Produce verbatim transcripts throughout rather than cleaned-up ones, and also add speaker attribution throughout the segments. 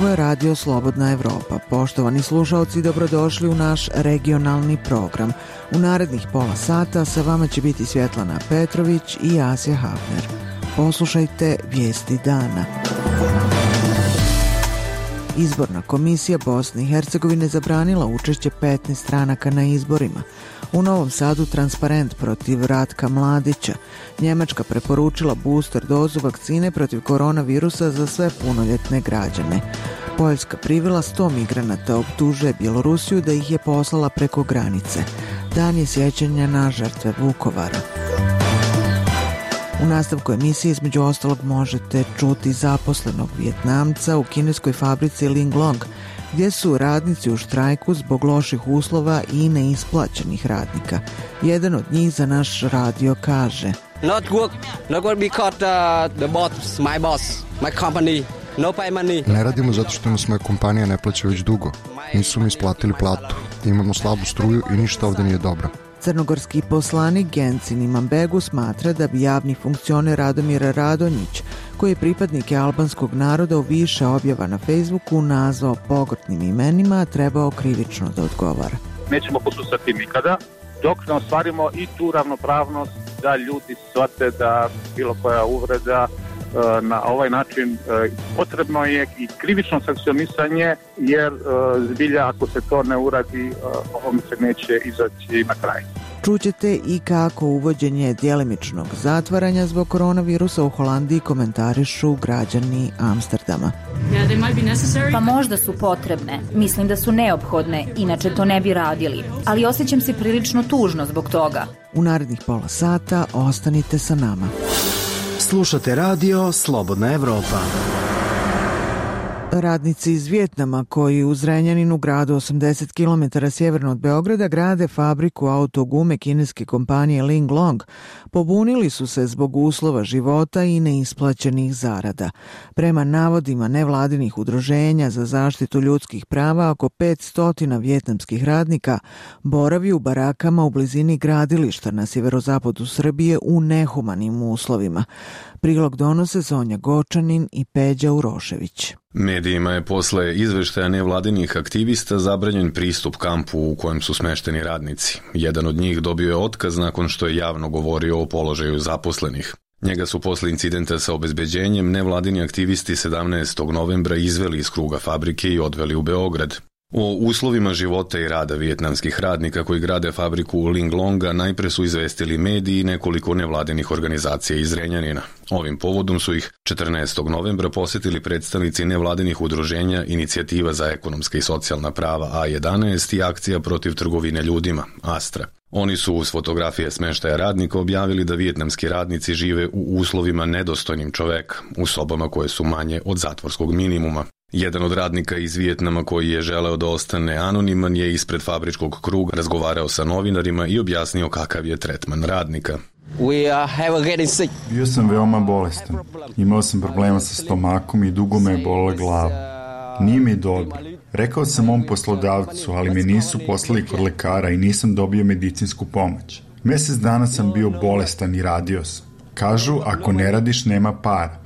Speaker 1: Ovo je Radio Slobodna Evropa. Poštovani slušaoci, dobrodošli u naš regionalni program. U narednih pola sata sa vama će biti Svjetlana Petrović i Asja Hafner. Poslušajte vijesti dana. Izborna komisija Bosne i Hercegovine zabranila učešće petnaest stranaka na izborima. U Novom Sadu transparent protiv Ratka Mladića. Njemačka preporučila booster dozu vakcine protiv koronavirusa za sve punoljetne građane. Poljska privela sto migranata, optužuje Bjelorusiju da ih je poslala preko granice. Dan je sjećanja na žrtve Vukovara. U nastavku emisije između ostalog možete čuti zaposlenog Vijetnamca u kineskoj fabrici Linglong, gdje su radnici u štrajku zbog loših uslova i neisplaćenih radnika. Jedan od njih za naš radio kaže:
Speaker 2: Not work, not work because uh, the boss, my boss, my company, no pay money.
Speaker 3: Ne radimo zato što nas moja kompanija ne plaća već dugo. Nisu mi isplatili platu. Imamo slabu struju i ništa ovdje nije dobro.
Speaker 1: Crnogorski poslanik Gencin Imambegu smatra da bi javni funkcioner Radomir Radonjić, koji je pripadnik albanskog naroda u više objava na Facebooku nazvao pogrdnim imenima, trebao krivično da odgovara.
Speaker 4: Nećemo poslušati nikada dok ne ostvarimo i tu ravnopravnost da ljudi shvate da bilo koja uvreda na ovaj način potrebno je i krivično sankcionisanje, jer zbilja ako se to ne uradi, ovom se neće izaći na kraj.
Speaker 1: Čućete i kako uvođenje djelimičnog zatvaranja zbog koronavirusa u Holandiji komentarišu građani Amsterdama.
Speaker 5: Pa možda su potrebne, mislim da su neophodne, inače to ne bi radili, ali osjećam se prilično tužno zbog toga.
Speaker 1: U narednih pola sata ostanite sa nama.
Speaker 6: Slušate radio Slobodna Evropa.
Speaker 1: Radnici iz Vijetnama koji u Zrenjaninu, gradu osamdeset kilometara sjeverno od Beograda, grade fabriku autogume kineske kompanije Linglong, pobunili su se zbog uslova života i neisplaćenih zarada. Prema navodima nevladinih udruženja za zaštitu ljudskih prava, oko petsto vijetnamskih radnika boravi u barakama u blizini gradilišta na sjeverozapadu Srbije u nehumanim uslovima. Prilog donose Sonja Gočanin i Peđa Urošević.
Speaker 7: Medijima je posle izveštaja nevladinih aktivista zabranjen pristup kampu u kojem su smešteni radnici. Jedan od njih dobio je otkaz nakon što je javno govorio o položaju zaposlenih. Njega su posle incidenta sa obezbeđenjem nevladini aktivisti sedamnaestog novembra izveli iz kruga fabrike i odveli u Beograd. O uslovima života i rada vijetnamskih radnika koji grade fabriku Linglonga najpre su izvestili mediji i nekoliko nevladinih organizacija iz Zrenjanina. Ovim povodom su ih četrnaestog novembra posjetili predstavnici nevladinih udruženja Inicijativa za ekonomska i socijalna prava A jedanaest i Akcija protiv trgovine ljudima Astra. Oni su uz fotografije smeštaja radnika objavili da vijetnamski radnici žive u uslovima nedostojnim čoveka, u sobama koje su manje od zatvorskog minimuma. Jedan od radnika iz Vijetnama koji je želeo da ostane anoniman je ispred fabričkog kruga razgovarao sa novinarima i objasnio kakav je tretman radnika.
Speaker 2: We have getting sick.
Speaker 8: Bio sam veoma bolestan. Imao sam problema sa stomakom i dugo me je bolila glava. Nije mi dobro. Rekao sam mom poslodavcu, ali me nisu poslali kod lekara i nisam dobio medicinsku pomoć. Mjesec dana sam bio bolestan i radio sam. Kažu, ako ne radiš, nema para.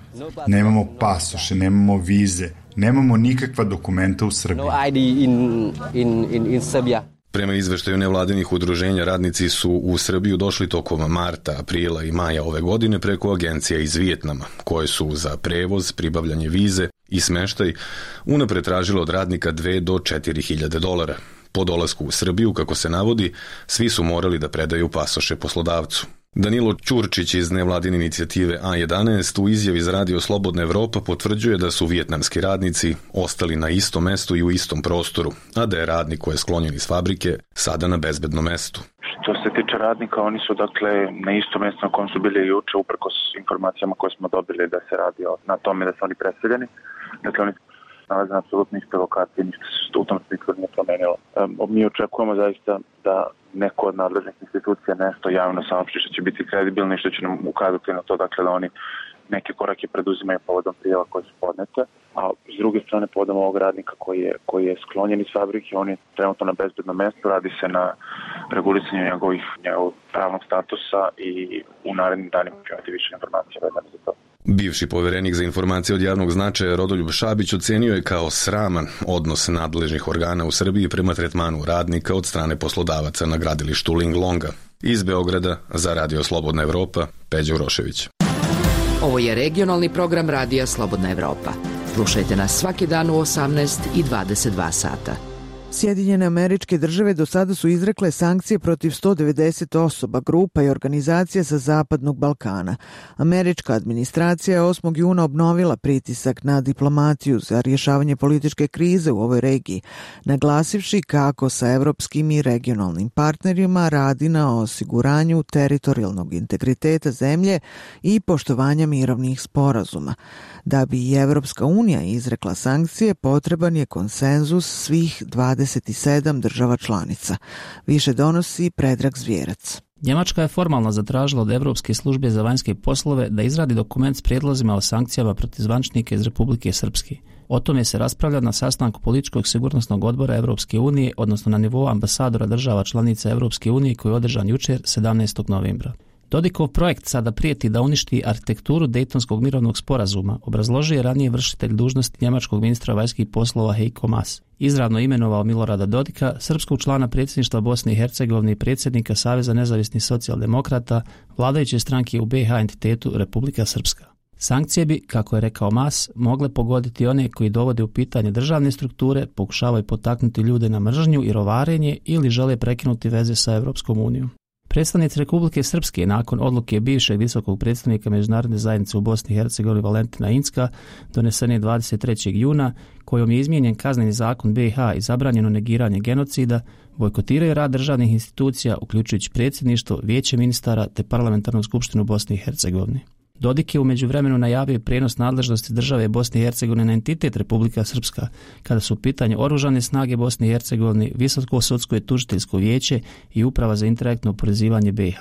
Speaker 8: Nemamo pasoše, nemamo vize, nemamo nikakva dokumenta u Srbiji.
Speaker 2: No I D in, in, in, in Serbia.
Speaker 7: Prema izveštaju nevladinih udruženja, radnici su u Srbiju došli tokom marta, aprila i maja ove godine preko agencija iz Vijetnama, koje su za prevoz, pribavljanje vize i smeštaj unapred tražile od radnika dve do četiri hiljade dolara. Po dolasku u Srbiju, kako se navodi, svi su morali da predaju pasoše poslodavcu. Danilo Ćurčić iz nevladine inicijative A jedanaest u izjavi za radio Slobodna Evropa potvrđuje da su vijetnamski radnici ostali na istom mestu i u istom prostoru, a da je radnik koji je sklonjen iz fabrike sada na bezbednom mestu.
Speaker 9: Što se tiče radnika, oni su dakle na istom mjestu na kojem su bili juče, uprkos informacijama koje smo dobili da se radi na tome da su oni preseljeni. Dakle, oni nalaze na apsolutno istoj lokaciji, ništa se u tom smislu nije promenilo. Um, mi očekujemo zaista da neko od nadležnih institucija nešto javno saopšti što će biti kredibilno i što će nam ukazati na to, dakle, da oni neke korake preduzimaju povodom prijava koje su podnete, a s druge strane povodom ovog radnika koji je, koji je sklonjen iz fabrike, on je trenutno na bezbednom mjestu, radi se na regulisanju njegovih, njegovog pravnog statusa i u narednim danima ću imati više informacija vezane za to.
Speaker 7: Bivši povjerenik za informacije od javnog značaja Rodoljub Šabić ocenio je kao sraman odnos nadležnih organa u Srbiji prema tretmanu radnika od strane poslodavaca na gradilištu Linglonga. Iz Beograda za Radio Slobodna Evropa, Peđa Urošević.
Speaker 10: Ovo je regionalni program Radija Slobodna Evropa. Slušajte nas svaki dan u osamnaest i dvadeset dva sata.
Speaker 1: Sjedinjene Američke Države do sada su izrekle sankcije protiv sto devedeset osoba, grupa i organizacija sa Zapadnog Balkana. Američka administracija je osmog juna obnovila pritisak na diplomatiju za rješavanje političke krize u ovoj regiji, naglasivši kako sa evropskim i regionalnim partnerima radi na osiguranju teritorijalnog integriteta zemlje i poštovanja mirovnih sporazuma. Da bi i Evropska unija izrekla sankcije, potreban je konsenzus svih dvadeset sedam država članica. Više donosi Predrag Zvijerac.
Speaker 11: Njemačka je formalno zatražila od Evropske službe za vanjske poslove da izradi dokument s prijedlozima o sankcijama protiv zvaničnika iz Republike Srpske. O tome se raspravlja na sastanku političkog sigurnosnog odbora Evropske unije, odnosno na nivou ambasadora država članica Evropske unije koji je održan jučer sedamnaestog novembra. Dodikov projekt sada prijeti da uništi arhitekturu Dejtonskog mirovnog sporazuma, obrazložio je ranije vršitelj dužnosti njemačkog ministra vanjskih poslova Heiko Maas. Izravno imenovao Milorada Dodika, srpskog člana predsjedništva Bosne i Hercegovine i predsjednika Saveza nezavisnih socijaldemokrata, vladajuće stranke u B iH entitetu Republika Srpska. Sankcije bi, kako je rekao Maas, mogle pogoditi one koji dovode u pitanje državne strukture, pokušavaju potaknuti ljude na mržnju i rovarenje ili žele prekinuti veze sa Evropskom unijom. Predstavnici Republike Srpske nakon odluke bivšeg visokog predstavnika međunarodne zajednice u Bosni i Hercegovini Valentina Incka donesene dvadeset trećeg juna, kojom je izmijenjen kazneni zakon B iH i zabranjeno negiranje genocida, bojkotiraju rad državnih institucija, uključujući predsjedništvo, vijeće ministara te parlamentarnu skupštinu Bosne i Hercegovine. Dodik je u međuvremenu najavio prijenos nadležnosti države Bosne i Hercegovine na entitet Republika Srpska, kada su u pitanju oružane snage Bosne i Hercegovine, Visoko sudsko i tužiteljsko vijeće i Uprava za interaktno oporezivanje B iH.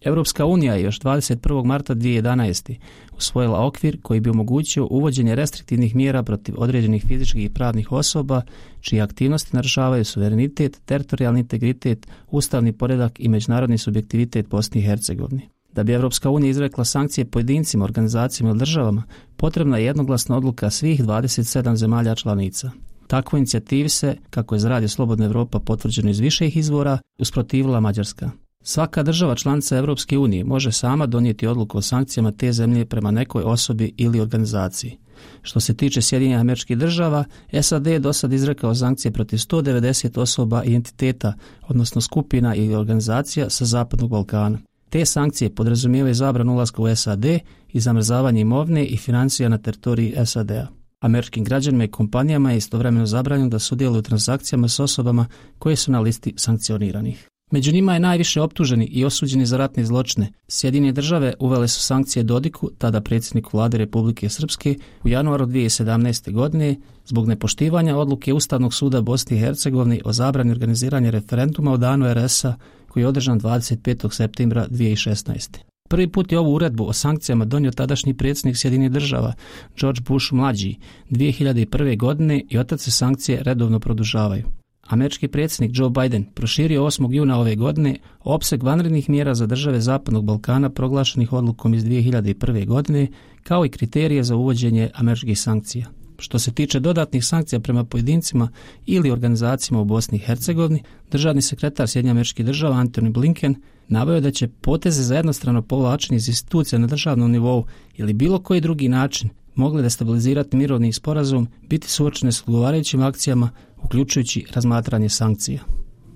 Speaker 11: Europska unija je još dvadeset prvog marta dvije tisuće jedanaeste. usvojila okvir koji bi omogućio uvođenje restriktivnih mjera protiv određenih fizičkih i pravnih osoba čije aktivnosti narušavaju suverenitet, teritorijalni integritet, ustavni poredak i međunarodni subjektivitet Bosne i Hercegovine. Da bi Evropska unija izrekla sankcije pojedincima, organizacijama ili državama, potrebna je jednoglasna odluka svih dvadeset sedam zemalja članica. Takvoj inicijativi se, kako je za Radio Slobodna Evropa potvrđeno iz viših izvora, usprotivila Mađarska. Svaka država članica Evropske unije može sama donijeti odluku o sankcijama te zemlje prema nekoj osobi ili organizaciji. Što se tiče Sjedinjenih Američkih Država, S A D je do sad izrekao sankcije protiv sto devedeset osoba i entiteta, odnosno skupina ili organizacija sa Zapadnog Balkana. Te sankcije podrazumijevaju zabranu ulaska u S A D i zamrzavanje imovine i financija na teritoriji S A D-a. Američkim građanima i kompanijama je istovremeno zabranjeno da sudjeluju u transakcijama s osobama koje su na listi sankcioniranih. Među njima je najviše optuženi i osuđeni za ratne zločine. Sjedinjene države uvele su sankcije Dodiku, tada predsjedniku vlade Republike Srpske, u januaru dvije tisuće sedamnaeste. godine zbog nepoštivanja odluke Ustavnog suda Bosne i Hercegovine o zabrani organiziranja referenduma o danu R S-a koji je održan dvadeset petog septembra dvije tisuće šesnaeste. Prvi put je ovu uredbu o sankcijama donio tadašnji predsjednik Sjedinjenih država George Bush mlađi dvije hiljade prve. godine i otac se sankcije redovno produžavaju. Američki predsjednik Joe Biden proširio osmog juna ove godine opseg vanrednih mjera za države Zapadnog Balkana proglašenih odlukom iz dvije hiljade prve. godine, kao i kriterije za uvođenje američkih sankcija. Što se tiče dodatnih sankcija prema pojedincima ili organizacijama u Bosni i Hercegovini, državni sekretar Sjedinjenih Američkih Država Antony Blinken naveo da će poteze za jednostrano povlačenje iz institucija na državnom nivou ili bilo koji drugi način mogle destabilizirati mirovni sporazum biti suočene s odgovarajućim akcijama, uključujući razmatranje sankcija.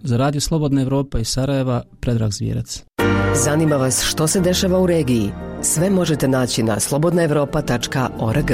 Speaker 11: Za Radio Slobodna Evropa iz Sarajeva, Predrag Zvijerac.
Speaker 12: Zanima vas što se dešava u regiji? Sve možete naći na slobodna evropa tačka org.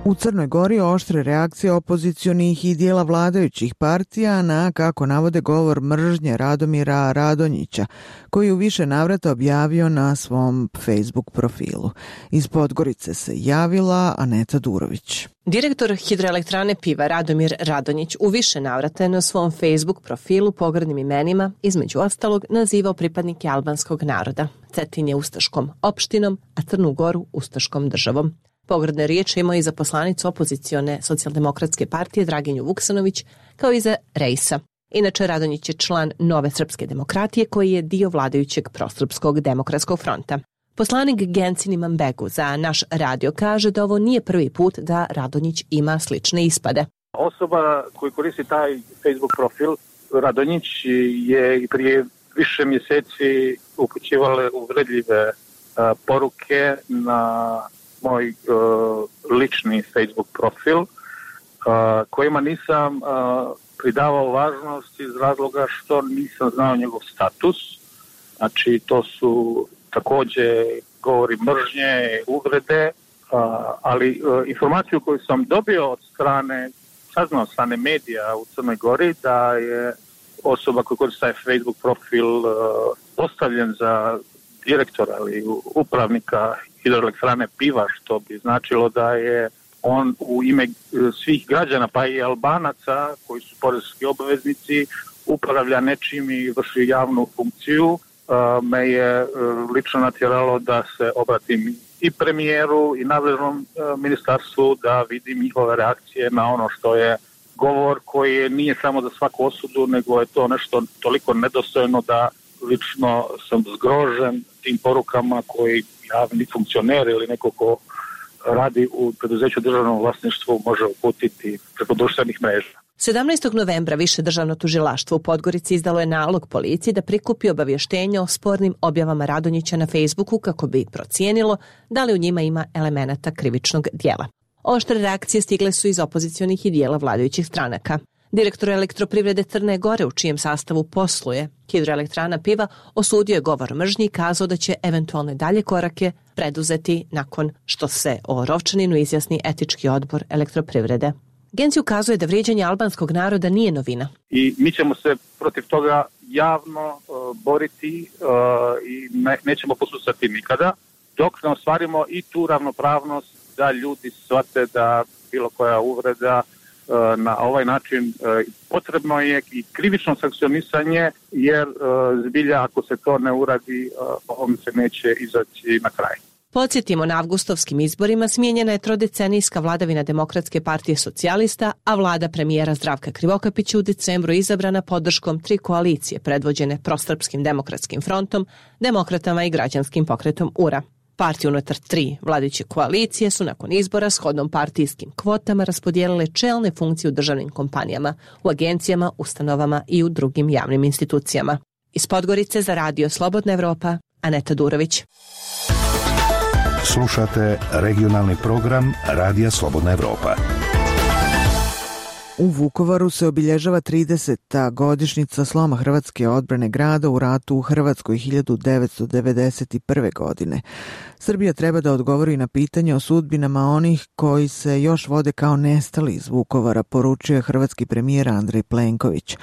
Speaker 1: U Crnoj Gori oštre reakcije opozicionih i dijela vladajućih partija na, kako navode, govor mržnje Radomira Radonjića, koji u više navrata objavio na svom Facebook profilu. Iz Podgorice se javila Aneta Durović.
Speaker 13: Direktor hidroelektrane Piva Radomir Radonjić u više navrata je na svom Facebook profilu pogrdnim imenima, između ostalog, nazivao pripadnike albanskog naroda, Cetinje ustaškom opštinom, a Crnu Goru ustaškom državom. Pogrdne riječi imao i za poslanicu opozicione socijaldemokratske partije Draginju Vuksanović, kao i za Rejsa. Inače, Radonjić je član Nove srpske demokratije koji je dio vladajućeg prosrpskog demokratskog fronta. Poslanik Gencin Imanbegu za naš radio kaže da ovo nije prvi put da Radonjić ima slične ispade.
Speaker 4: Osoba koji koristi taj Facebook profil, Radonjić, je prije više mjeseci upućivale uvredljive uh, poruke na moj uh, lični Facebook profil, uh, kojima nisam uh, pridavao važnost iz razloga što nisam znao njegov status. Znači, to su također govori mržnje, uvrede, uh, ali uh, informaciju koju sam dobio od strane, saznao strane medija u Crnoj Gori, da je osoba koja koristi taj Facebook profil uh, postavljen za direktora ili upravnika hidroelektrane Piva, što bi značilo da je on u ime svih građana, pa i Albanaca, koji su poreski obveznici, upravlja nečim i vrši javnu funkciju. Uh, me je uh, lično natjeralo da se obratim i premijeru i nadležnom uh, ministarstvu da vidim njihove reakcije na ono što je govor koji nije samo za svaku osudu, nego je to nešto toliko nedostojno da lično sam zgrožen tim porukama koji javni funkcioner ili neko ko radi u preduzeću državnom vlasništvu može uputiti preko društvenih mreža.
Speaker 13: sedamnaestog novembra Više državno tužilaštvo u Podgorici izdalo je nalog policiji da prikupi obavještenja o spornim objavama Radonjića na Facebooku kako bi procijenilo da li u njima ima elemenata krivičnog djela. Oštre reakcije stigle su iz opozicionih i dijela vladajućih stranaka. Direktor Elektroprivrede Crne Gore, u čijem sastavu posluje hidroelektrana Piva, osudio je govor mržnji i kazao da će eventualne dalje korake preduzeti nakon što se o Rovčaninu izjasni etički odbor Elektroprivrede. Genci ukazuje da vrijeđanje albanskog naroda nije novina.
Speaker 4: I mi ćemo se protiv toga javno uh, boriti uh, i ne, nećemo posustati nikada, dok ne ostvarimo i tu ravnopravnost da ljudi shvate da bilo koja uvreda na ovaj način potrebno je i krivično sankcionisanje, jer zbilja ako se to ne uradi, ovom se neće izaći na kraj.
Speaker 13: Podsjetimo, na avgustovskim izborima smijenjena je trodecenijska vladavina Demokratske partije socijalista, a vlada premijera Zdravka Krivokapića u decembru izabrana podrškom tri koalicije predvođene Prosrpskim demokratskim frontom, Demokratama i Građanskim pokretom U R A. Partije unutar tri vladajuće koalicije su nakon izbora shodnom partijskim kvotama raspodijelile čelne funkcije u državnim kompanijama, u agencijama, ustanovama i u drugim javnim institucijama. Iz Podgorice za Radio Slobodna Evropa, Aneta Durović.
Speaker 14: Slušate regionalni program Radija Slobodna Evropa.
Speaker 1: U Vukovaru se obilježava trideseta godišnjica sloma hrvatske odbrane grada u ratu u Hrvatskoj hiljadu devetsto devedeset prve. godine. Srbija treba da odgovori na pitanje o sudbinama onih koji se još vode kao nestali iz Vukovara, poručuje hrvatski premijer Andrej Plenković.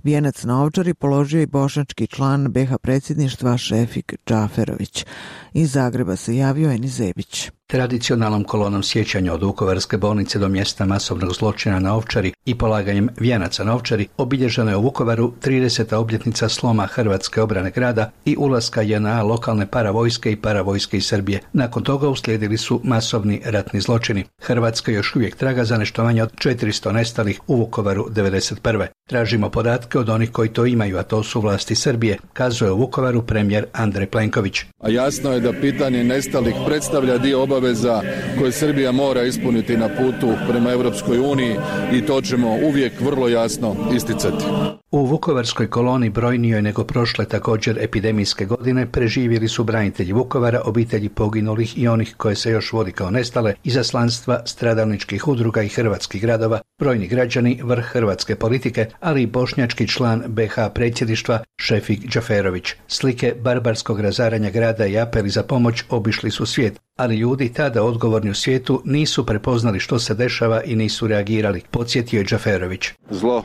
Speaker 1: Vijenac na Ovčari položio i bošnjački član B iH predsjedništva Šefik Džaferović. Iz Zagreba se javio Eni Zebić.
Speaker 15: Tradicionalnom kolonom sjećanja od Vukovarske bolnice do mjesta masovnog zločina na Ovčari i polaganjem vijenaca na Ovčari obilježena je u Vukovaru trideseta obljetnica sloma hrvatske obrane grada i ulaska J N A lokalne paravojske i paravojske iz Srbije. Nakon toga uslijedili su masovni ratni zločini. Hrvatska još uvijek traga za nešto manje od četiristo nestalih u Vukovaru devedeset prve. Tražimo podatke od onih koji to imaju, a to su vlasti Srbije, kazuje u Vukovaru premijer Andrej Plenković.
Speaker 16: A jasno je da pitanje nestalih predstavlja dio obaveza koje Srbija mora ispuniti na putu prema Europskoj uniji i to ćemo uvijek vrlo jasno isticati.
Speaker 15: U vukovarskoj koloni brojnijoj nego prošle također epidemijske godine preživjeli su branitelji Vukovara, obitelji poginulih i onih koje se još vodi kao nestale, izaslanstva stradalničkih udruga i hrvatskih gradova, brojni građani, vrh hrvatske politike, ali i bošnjački član B iH predsjedništva Šefik Džaferović. Slike barbarskog razaranja grada i apeli za pomoć obišli su svijet, ali ljudi tada odgovorni u svijetu nisu prepoznali što se dešava i nisu reagirali, podsjetio je Džaferović.
Speaker 17: Zlo,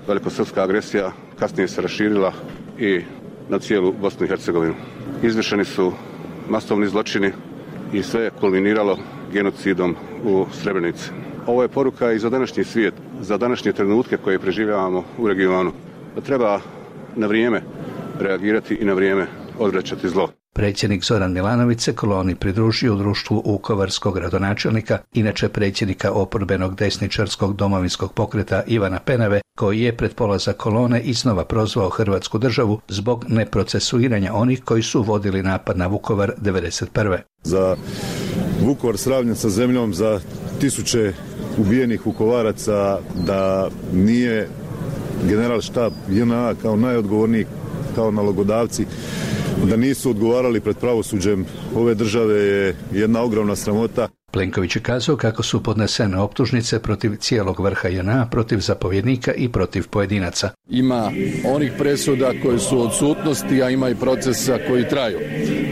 Speaker 17: velikosrpska agresija kasnije se raširila i na cijelu Bosnu i Hercegovinu. Izvršeni su masovni zločini i sve je kulminiralo genocidom u Srebrenici. Ovo je poruka i za današnji svijet, za današnje trenutke koje preživljavamo u regionu. Da treba na vrijeme reagirati i na vrijeme odvraćati zlo.
Speaker 15: Predsjednik Zoran Milanović se koloni pridružio u društvu vukovarskog gradonačelnika, inače predsjednika oporbenog desničarskog domovinskog pokreta Ivana Penave, koji je pred polazak kolone iznova prozvao Hrvatsku državu zbog neprocesuiranja onih koji su vodili napad na Vukovar devedeset prve.
Speaker 18: Za Vukovar sravnjen sa zemljom, za tisuće ubijenih Vukovaraca, da nije general štab J N A kao najodgovorniji, kao nalogodavci, da nisu odgovarali pred pravosuđem ove države je jedna ogromna sramota.
Speaker 15: Plenković je kazao kako su podnesene optužnice protiv cijelog vrha J N A, protiv zapovjednika i protiv pojedinaca.
Speaker 16: Ima onih presuda koje su odsutnosti, a ima i procesa koji traju.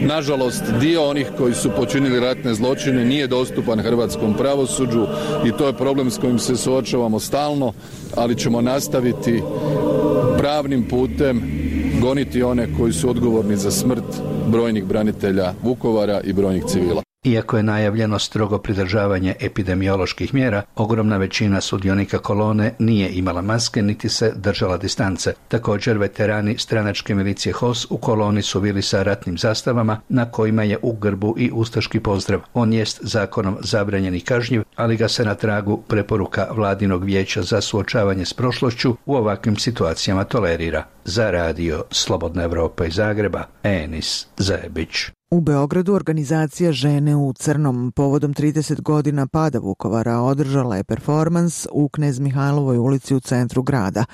Speaker 16: Nažalost, dio onih koji su počinili ratne zločine nije dostupan hrvatskom pravosuđu i to je problem s kojim se suočavamo stalno, ali ćemo nastaviti pravnim putem goniti one koji su odgovorni za smrt brojnih branitelja Vukovara i brojnih civila.
Speaker 15: Iako je najavljeno strogo pridržavanje epidemioloških mjera, ogromna većina sudionika kolone nije imala maske niti se držala distance. Također, veterani stranačke milicije H O S u koloni su bili sa ratnim zastavama na kojima je u grbu i ustaški pozdrav. On jest zakonom zabranjen i kažnjiv, ali ga se na tragu preporuka Vladinog vijeća za suočavanje s prošlošću u ovakvim situacijama tolerira. Za radio Slobodna Evropa iz Zagreba, Enis Zajebić.
Speaker 1: U Beogradu organizacija Žene u crnom povodom trideset godina pada Vukovara održala je performans u Knez Mihajlovoj ulici u centru grada.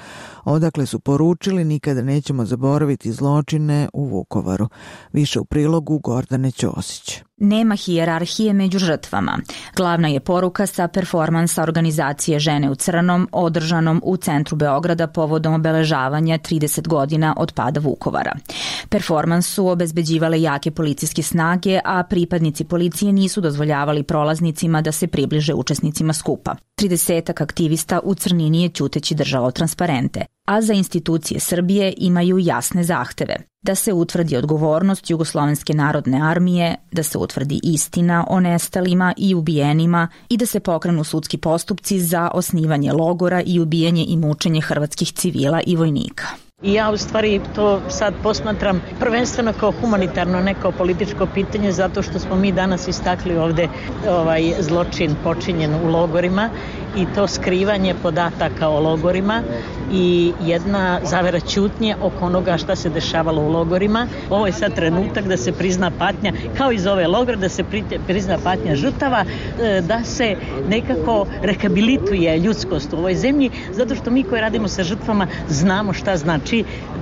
Speaker 1: Odakle su poručili nikada nećemo zaboraviti zločine u Vukovaru. Više u prilogu Gordane Ćosić.
Speaker 5: Nema hijerarhije među žrtvama. Glavna je poruka sa performansa organizacije Žene u crnom održanom u centru Beograda povodom obeležavanja trideset godina od pada Vukovara. Performans su obezbeđivale jake policijske snage, a pripadnici policije nisu dozvoljavali prolaznicima da se približe učesnicima skupa. Tridesetak aktivista u crnini je ćuteći držalo transparente, a za institucije Srbije imaju jasne zahteve. Da se utvrdi odgovornost Jugoslovenske narodne armije, da se utvrdi istina o nestalima i ubijenima i da se pokrenu sudski postupci za osnivanje logora i ubijanje i mučenje hrvatskih civila i vojnika.
Speaker 19: I ja u stvari to sad posmatram prvenstveno kao humanitarno, ne kao političko pitanje, zato što smo mi danas istakli ovde ovaj zločin počinjen u logorima i to skrivanje podataka o logorima i jedna zavera ćutnje oko onoga šta se dešavalo u logorima. Ovo je sad trenutak da se prizna patnja, kao iz ove logore, da se prizna patnja žrtava, da se nekako rehabilituje ljudskost u ovoj zemlji, zato što mi koji radimo sa žrtvama znamo šta znači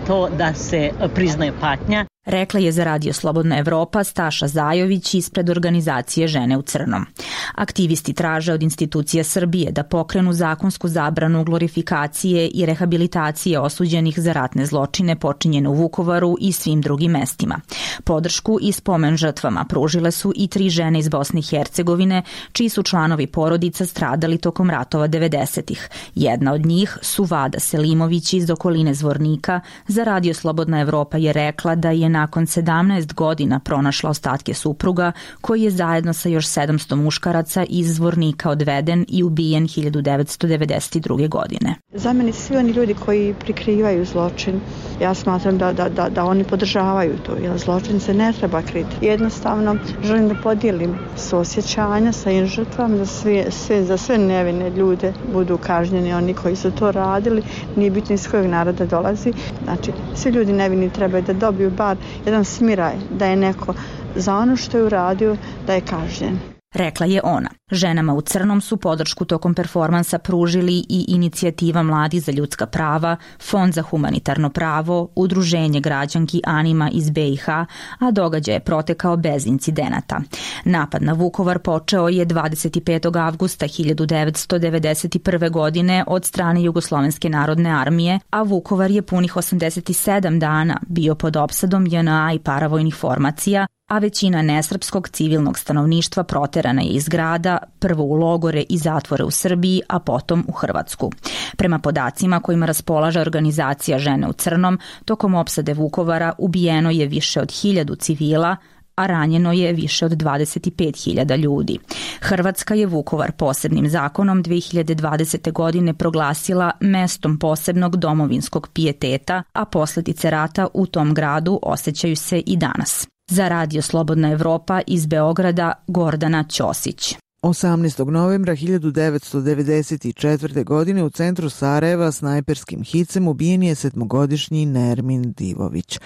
Speaker 19: to da se priznaje patnja.
Speaker 5: Rekla je za radio Slobodna Evropa Staša Zajović ispred organizacije Žene u crnom. Aktivisti traže od institucija Srbije da pokrenu zakonsku zabranu glorifikacije i rehabilitacije osuđenih za ratne zločine počinjene u Vukovaru i svim drugim mestima. Podršku i spomen žrtvama pružile su i tri žene iz Bosne i Hercegovine, čiji su članovi porodica stradali tokom ratova devedesetih. Jedna od njih, Suvada Selimović iz okoline Zvornika, za radio Slobodna Evropa je rekla da je nakon sedamnaest godina pronašla ostatke supruga, koji je zajedno sa još sedamsto muškaraca iz Zvornika odveden i ubijen hiljadu devetsto devedeset druge. godine.
Speaker 20: Za mene svi oni ljudi koji prikrivaju zločin, ja smatram da, da, da, da oni podržavaju to, jer zločin se ne treba kriti. Jednostavno želim da podijelim suosjećanja sa im žrtvama, da sve, sve, za sve nevine ljude budu kažnjeni, oni koji su to radili, nije bitno iz kojeg naroda dolazi. Znači, svi ljudi nevini trebaju da dobiju bar jedan smiraj, da je neko za ono što je uradio, da je kažnjen.
Speaker 5: Rekla je ona. Ženama u crnom su podršku tokom performansa pružili i Inicijativa mladih za ljudska prava, Fond za humanitarno pravo, Udruženje građanki Anima iz B i H, a događaj je protekao bez incidenata. Napad na Vukovar počeo je dvadeset petog avgusta hiljadu devetsto devedeset prve. godine od strane Jugoslovenske narodne armije, a Vukovar je punih osamdeset sedam dana bio pod opsadom J N A i paravojnih formacija, a većina nesrpskog civilnog stanovništva proterana je iz grada, prvo u logore i zatvore u Srbiji, a potom u Hrvatsku. Prema podacima kojima raspolaže organizacija Žene u crnom, tokom opsade Vukovara ubijeno je više od hiljadu civila, a ranjeno je više od dvadeset pet hiljada ljudi. Hrvatska je Vukovar posebnim zakonom dve hiljade dvadesete. godine proglasila mestom posebnog domovinskog pijeteta, a posljedice rata u tom gradu osjećaju se i danas. Za Radio Slobodna Evropa iz Beograda Gordana Ćosić.
Speaker 1: osamnaestog novembra hiljadu devetsto devedeset četvrte. godine u centru Sarajeva snajperskim hicem ubijen je sedmogodišnji Nermin Divović.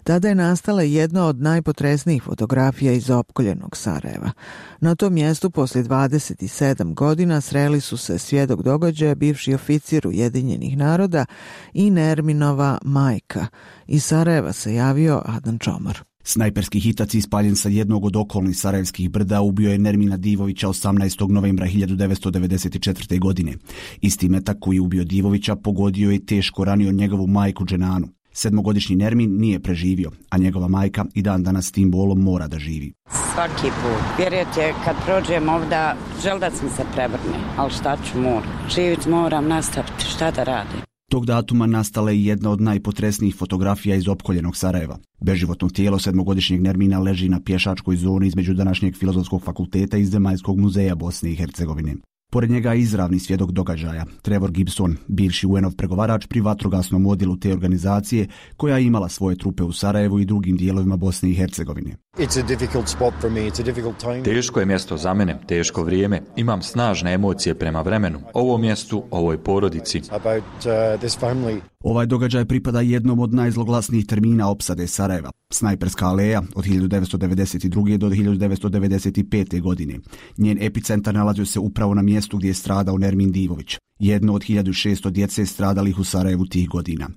Speaker 1: Tada je nastala jedna od najpotresnijih fotografija iz opkoljenog Sarajeva. Na tom mjestu poslije dvadeset sedam godina sreli su se svjedok događaja, bivši oficir Ujedinjenih naroda i Nerminova majka. Iz Sarajeva se javio Adnan Čomor.
Speaker 21: Snajperski hitac ispaljen sa jednog od okolnih sarajevskih brda ubio je Nermina Divovića osamnaestog novembra hiljadu devetsto devedeset četvrte. godine. Isti metak koji je ubio Divovića pogodio i teško ranio njegovu majku Dženanu. Sedmogodišnji Nermin nije preživio, a njegova majka i dan danas s tim bolom mora da živi.
Speaker 22: Svaki put. Vjerujete, kad prođem ovdje, žel da sam se prevrne, ali šta ću moram. Živit moram, nastaviti, šta da radim.
Speaker 21: Tog datuma nastala je jedna od najpotresnijih fotografija iz opkoljenog Sarajeva. Beživotno tijelo sedmogodišnjeg Nermina leži na pješačkoj zoni između današnjeg Filozofskog fakulteta i Zemaljskog muzeja Bosne i Hercegovine. Pored njega je izravni svjedok događaja, Trevor Gibson, bivši U N-ov pregovarač pri vatrogasnom odjelu te organizacije koja je imala svoje trupe u Sarajevu i drugim dijelovima Bosne i Hercegovine.
Speaker 23: Teško je mjesto za mene, teško vrijeme. Imam snažne emocije prema vremenu, ovom mjestu, ovoj porodici.
Speaker 21: Ovaj događaj pripada jednom od najzloglasnijih termina opsade Sarajeva, Snajperska aleja od hiljadu devetsto devedeset druge. do hiljadu devetsto devedeset pete. godine. Njen epicentar nalazio se upravo na mjestu gdje je stradao Nermin Divović, jedno od hiljadu šesto djece stradalih u Sarajevu tih godina.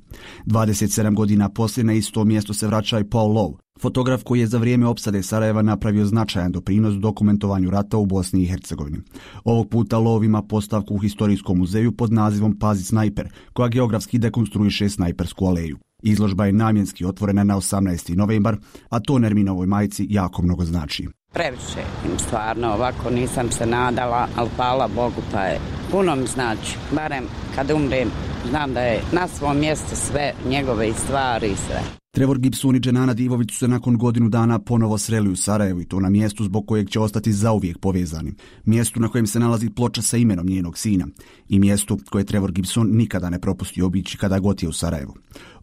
Speaker 21: dvadeset sedam godina poslije na isto mjesto se vraća i Paul Lowe, fotograf koji je za vrijeme opsade Sarajeva napravio značajan doprinos dokumentovanju rata u Bosni i Hercegovini. Ovog puta Lowe ima postavku u Historijskom muzeju pod nazivom Pazi snajper, koja geografski dekonstruiše Snajpersku aleju. Izložba je namjenski otvorena na osamnaesti novembar, a to Nerminovoj majci jako mnogo znači.
Speaker 22: Previše im stvarno, ovako nisam se nadala, ali hvala Bogu pa je. Puno mi znači, barem kad umrem, znam da je na svom mjestu sve njegove i stvari i sve.
Speaker 21: Trevor Gibson i Dženana Divović su se nakon godinu dana ponovo sreli u Sarajevu i to na mjestu zbog kojeg će ostati zauvijek povezani. Mjestu na kojem se nalazi ploča sa imenom njenog sina i mjestu koje Trevor Gibson nikada ne propusti obići kada god je u Sarajevu.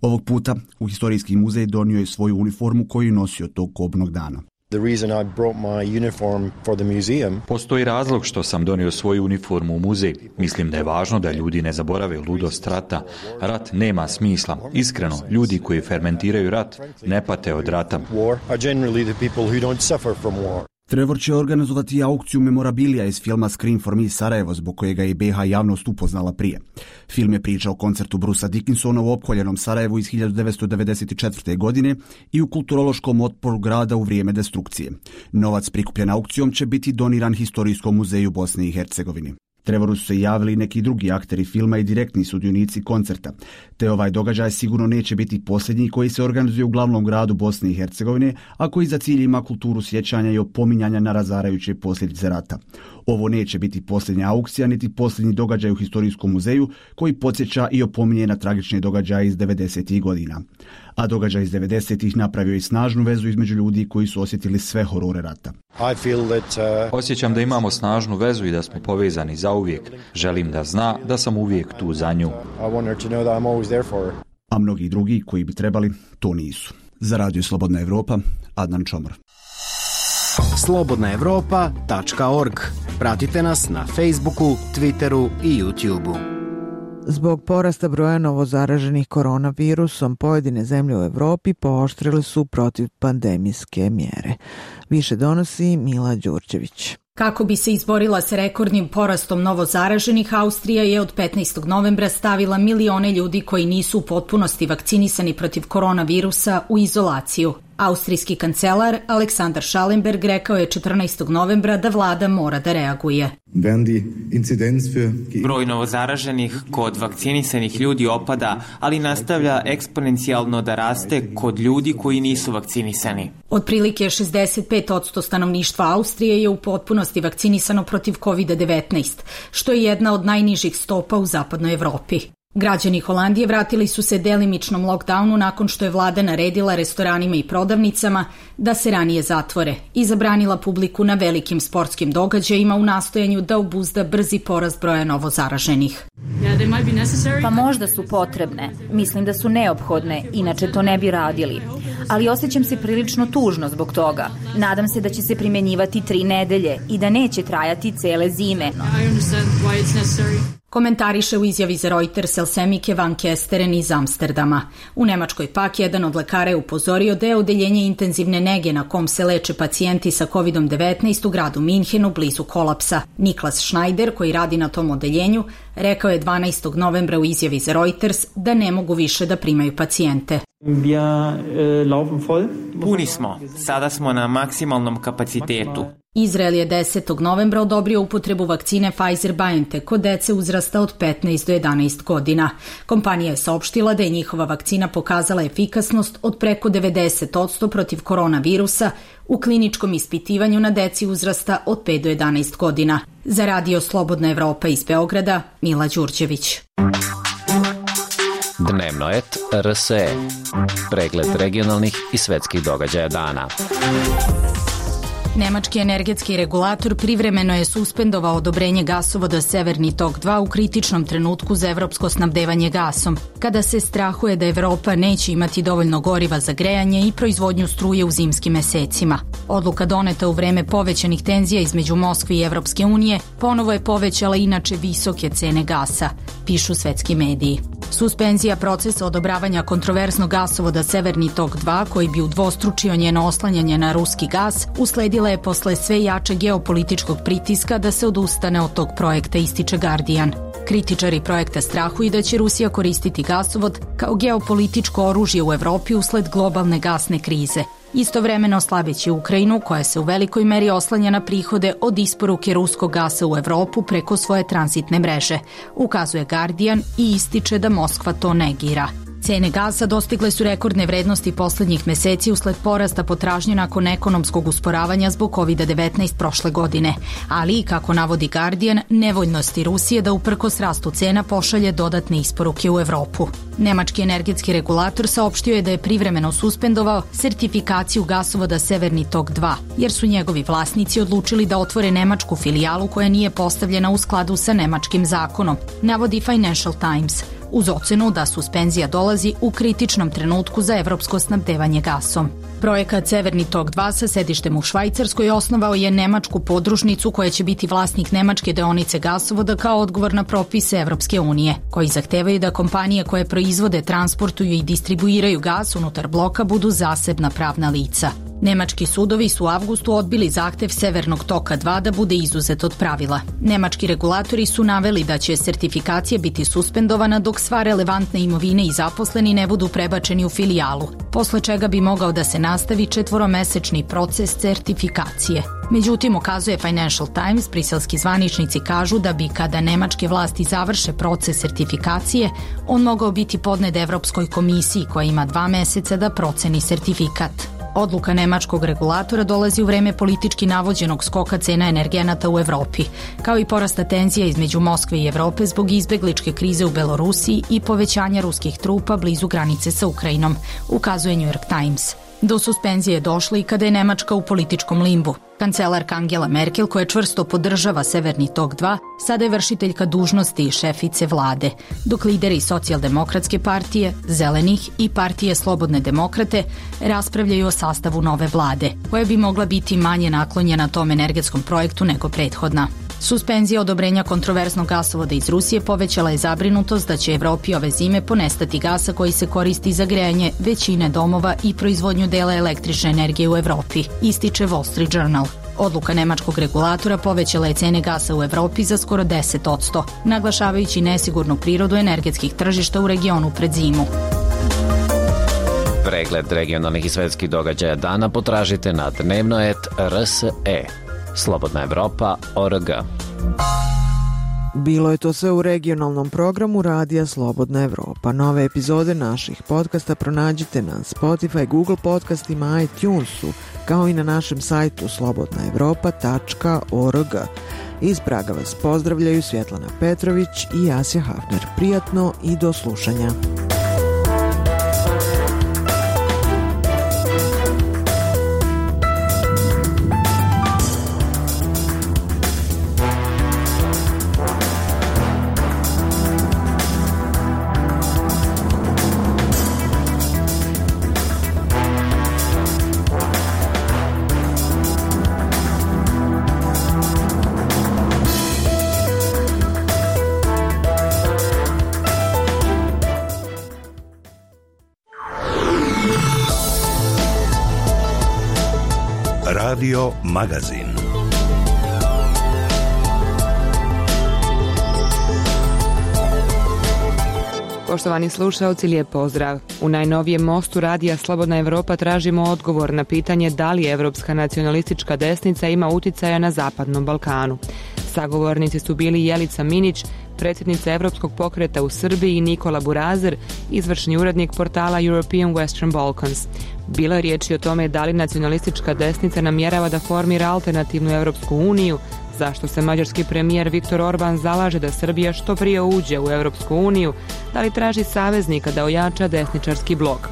Speaker 21: Ovog puta u Historijski muzej donio je svoju uniformu koju je nosio tog kobnog dana.
Speaker 23: Postoji razlog što sam donio svoju uniformu u muzej. Mislim da je važno da ljudi ne zaborave ludost rata. Rat nema smisla. Iskreno, ljudi koji fermentiraju rat ne pate od rata.
Speaker 21: Trevor će organizovati aukciju memorabilija iz filma Scream for Me Sarajevo, zbog kojega je be ha javnost upoznala prije. Film je priča o koncertu Brusa Dickinsona u opkoljenom Sarajevu iz hiljadu devetsto devedeset četvrte. godine i u kulturološkom otporu grada u vrijeme destrukcije. Novac prikupljen aukcijom će biti doniran Historijskom muzeju Bosne i Hercegovine. Trevoru su se javili neki drugi akteri filma i direktni sudionici koncerta, te ovaj događaj sigurno neće biti posljednji koji se organizuje u glavnom gradu Bosne i Hercegovine, a koji za cilj ima kulturu sjećanja i opominjanja na razarajuće posljedice rata. Ovo neće biti posljednja aukcija, niti posljednji događaj u Historijskom muzeju koji podsjeća i opominje na tragične događaje iz devedesetih godina. A događaj iz devedesetih napravio i snažnu vezu između ljudi koji su osjetili sve horore rata.
Speaker 23: Osjećam da imamo snažnu vezu i da smo povezani zauvijek. Želim da zna da sam uvijek tu za nju.
Speaker 21: A mnogi drugi koji bi trebali, to nisu. Za Radio Slobodna Evropa, Adnan Čomor.
Speaker 6: slobodna evropa tačka org. Pratite nas na Facebooku, Twitteru i YouTubeu.
Speaker 1: Zbog porasta broja novozaraženih koronavirusom, pojedine zemlje u Evropi pooštrile su protivpandemijske mjere. Više donosi Mila Đurđević.
Speaker 24: Kako bi se izborila sa rekordnim porastom novozaraženih, Austrija je od petnaestog novembra stavila milione ljudi koji nisu u potpunosti vakcinisani protiv koronavirusa u izolaciju. Austrijski kancelar Aleksandar Schallenberg rekao je četrnaestog novembra da vlada mora da reaguje.
Speaker 25: Broj novozaraženih kod vakcinisanih ljudi opada, ali nastavlja eksponencijalno da raste kod ljudi koji nisu vakcinisani.
Speaker 24: Otprilike šezdeset pet posto stanovništva Austrije je u potpunosti vakcinisano protiv kovid devetnaest, što je jedna od najnižih stopa u zapadnoj Evropi. Građani Holandije vratili su se delimičnom lockdownu nakon što je vlada naredila restoranima i prodavnicama da se ranije zatvore i zabranila publiku na velikim sportskim događajima u nastojanju da obuzda brzi porast broja novozaraženih.
Speaker 5: Pa možda su potrebne. Mislim da su neophodne, inače to ne bi radili. Ali osjećam se prilično tužno zbog toga. Nadam se da će se primenjivati tri nedelje i da neće trajati cele zime.
Speaker 24: Komentariše u izjavi za Reuters Elsemike van Kesteren iz Amsterdama. U Nemačkoj pak jedan od lekara je upozorio da je odeljenje intenzivne nege na kom se leče pacijenti sa kovid devetnaest u gradu Minhenu blizu kolapsa. Niklas Schneider, koji radi na tom odeljenju, rekao je dvanaestog novembra u izjavi za Reuters da ne mogu više da primaju pacijente.
Speaker 25: Puni smo. Sada smo na maksimalnom kapacitetu.
Speaker 24: Izrael je desetog novembra odobrio upotrebu vakcine Pfizer-BioNTech kod dece uzrasta od petnaest do jedanaest godina. Kompanija je saopštila da je njihova vakcina pokazala efikasnost od preko devedeset posto protiv koronavirusa u kliničkom ispitivanju na deci uzrasta od pet do jedanaest godina. Za Radio Slobodna Evropa iz Beograda, Mila Đurđević.
Speaker 2: Dnevno et R S E. Pregled regionalnih i svetskih događaja dana.
Speaker 24: Nemački energetski regulator privremeno je suspendovao odobrenje gasovoda Severni tok dva u kritičnom trenutku za evropsko snabdevanje gasom, kada se strahuje da Evropa neće imati dovoljno goriva za grejanje i proizvodnju struje u zimskim mesecima. Odluka doneta u vreme povećanih tenzija između Moskve i Evropske unije ponovo je povećala inače visoke cene gasa, pišu svetski mediji. Suspenzija procesa odobravanja kontroverznog gasovoda Severni tok dva, koji bi udvostručio njeno oslanjanje na ruski gas, usledila je posle sve jače geopolitičkog pritiska da se odustane od tog projekta, ističe Guardian. Kritičari projekta strahuju da će Rusija koristiti gasovod kao geopolitičko oružje u Evropi usled globalne gasne krize, istovremeno slabeći Ukrajinu, koja se u velikoj meri oslanja na prihode od isporuke ruskog gasa u Evropu preko svoje tranzitne mreže, ukazuje Guardian i ističe da Moskva to negira. Cene gasa dostigle su rekordne vrednosti poslednjih meseci usled porasta potražnje nakon ekonomskog usporavanja zbog kovid devetnaest prošle godine, ali i, kako navodi Guardian, nevoljnosti Rusije da uprkos rastu cena pošalje dodatne isporuke u Evropu. Nemački energetski regulator saopštio je da je privremeno suspendovao sertifikaciju gasovoda Severni tok dva, jer su njegovi vlasnici odlučili da otvore nemačku filijalu koja nije postavljena u skladu sa nemačkim zakonom, navodi Financial Times, uz ocenu da suspenzija dolazi u kritičnom trenutku za evropsko snabdevanje gasom. Projekat Severni tok dva sa sedištem u Švajcarskoj osnovao je nemačku podružnicu koja će biti vlasnik nemačke deonice gasovoda kao odgovor na propise Evropske unije, koji zahtevaju da kompanije koje proizvode, transportuju i distribuiraju gas unutar bloka budu zasebna pravna lica. Nemački sudovi su u avgustu odbili zahtev Severnog toka dva da bude izuzet od pravila. Nemački regulatori su naveli da će sertifikacija biti suspendovana dok sva relevantna imovine i zaposleni ne budu prebačeni u filijalu, posle čega bi mogao da se nastavi četvoromesečni proces sertifikacije. Međutim, ukazuje Financial Times, briselski zvaničnici kažu da bi, kada nemačke vlasti završe proces sertifikacije, on mogao biti podnet Evropskoj komisiji koja ima dva meseca da proceni sertifikat. Odluka nemačkog regulatora dolazi u vreme politički navođenog skoka cena energenata u Evropi, kao i porasta tenzija između Moskve i Evrope zbog izbegličke krize u Belorusiji i povećanja ruskih trupa blizu granice sa Ukrajinom, ukazuje New York Times. Do suspenzije je došlo i kada je Nemačka u političkom limbu. Kancelarka Angela Merkel, koja čvrsto podržava Severni tok dva, sada je vršiteljka dužnosti i šefice vlade, dok lideri Socijaldemokratske partije, Zelenih i partije Slobodne demokrate raspravljaju o sastavu nove vlade, koja bi mogla biti manje naklonjena tom energetskom projektu nego prethodna. Suspenzija odobrenja kontroverznog gasovoda iz Rusije povećala je zabrinutost da će Evropi ove zime ponestati gasa koji se koristi za grejanje većine domova i proizvodnju dela električne energije u Evropi, ističe Wall Street Journal. Odluka nemačkog regulatora povećala je cene gasa u Evropi za skoro deset posto, naglašavajući nesigurnu prirodu energetskih tržišta u regionu pred zimu.
Speaker 2: Pregled regionalnih i svetskih događaja dana potražite na dnevno et R S E. Slobodna Evropa точка org.
Speaker 1: Bilo je to sve u regionalnom programu Radija Slobodna Evropa. Nove epizode naših podcasta pronađite na Spotify, Google podcastima, iTunesu, kao i na našem sajtu slobodna evropa tačka org. Iz Praga vas pozdravljaju Svjetlana Petrović i Jasja Hafner. Prijatno i do slušanja.
Speaker 14: Radio Magazin.
Speaker 3: Poštovani slušaoci, lijep pozdrav. U najnovijem mostu radija Slobodna Evropa tražimo odgovor na pitanje da li evropska nacionalistička desnica ima uticaja na Zapadnom Balkanu. Sagovornici su bili Jelica Minić, predsjednica Evropskog pokreta u Srbiji, i Nikola Burazer, izvršni urednik portala European Western Balkans. Bilo je riječi o tome da li nacionalistička desnica namjerava da formira alternativnu Evropsku uniju, zašto se mađarski premijer Viktor Orban zalaže da Srbija što prije uđe u Evropsku uniju, da li traži saveznika da ojača desničarski blok.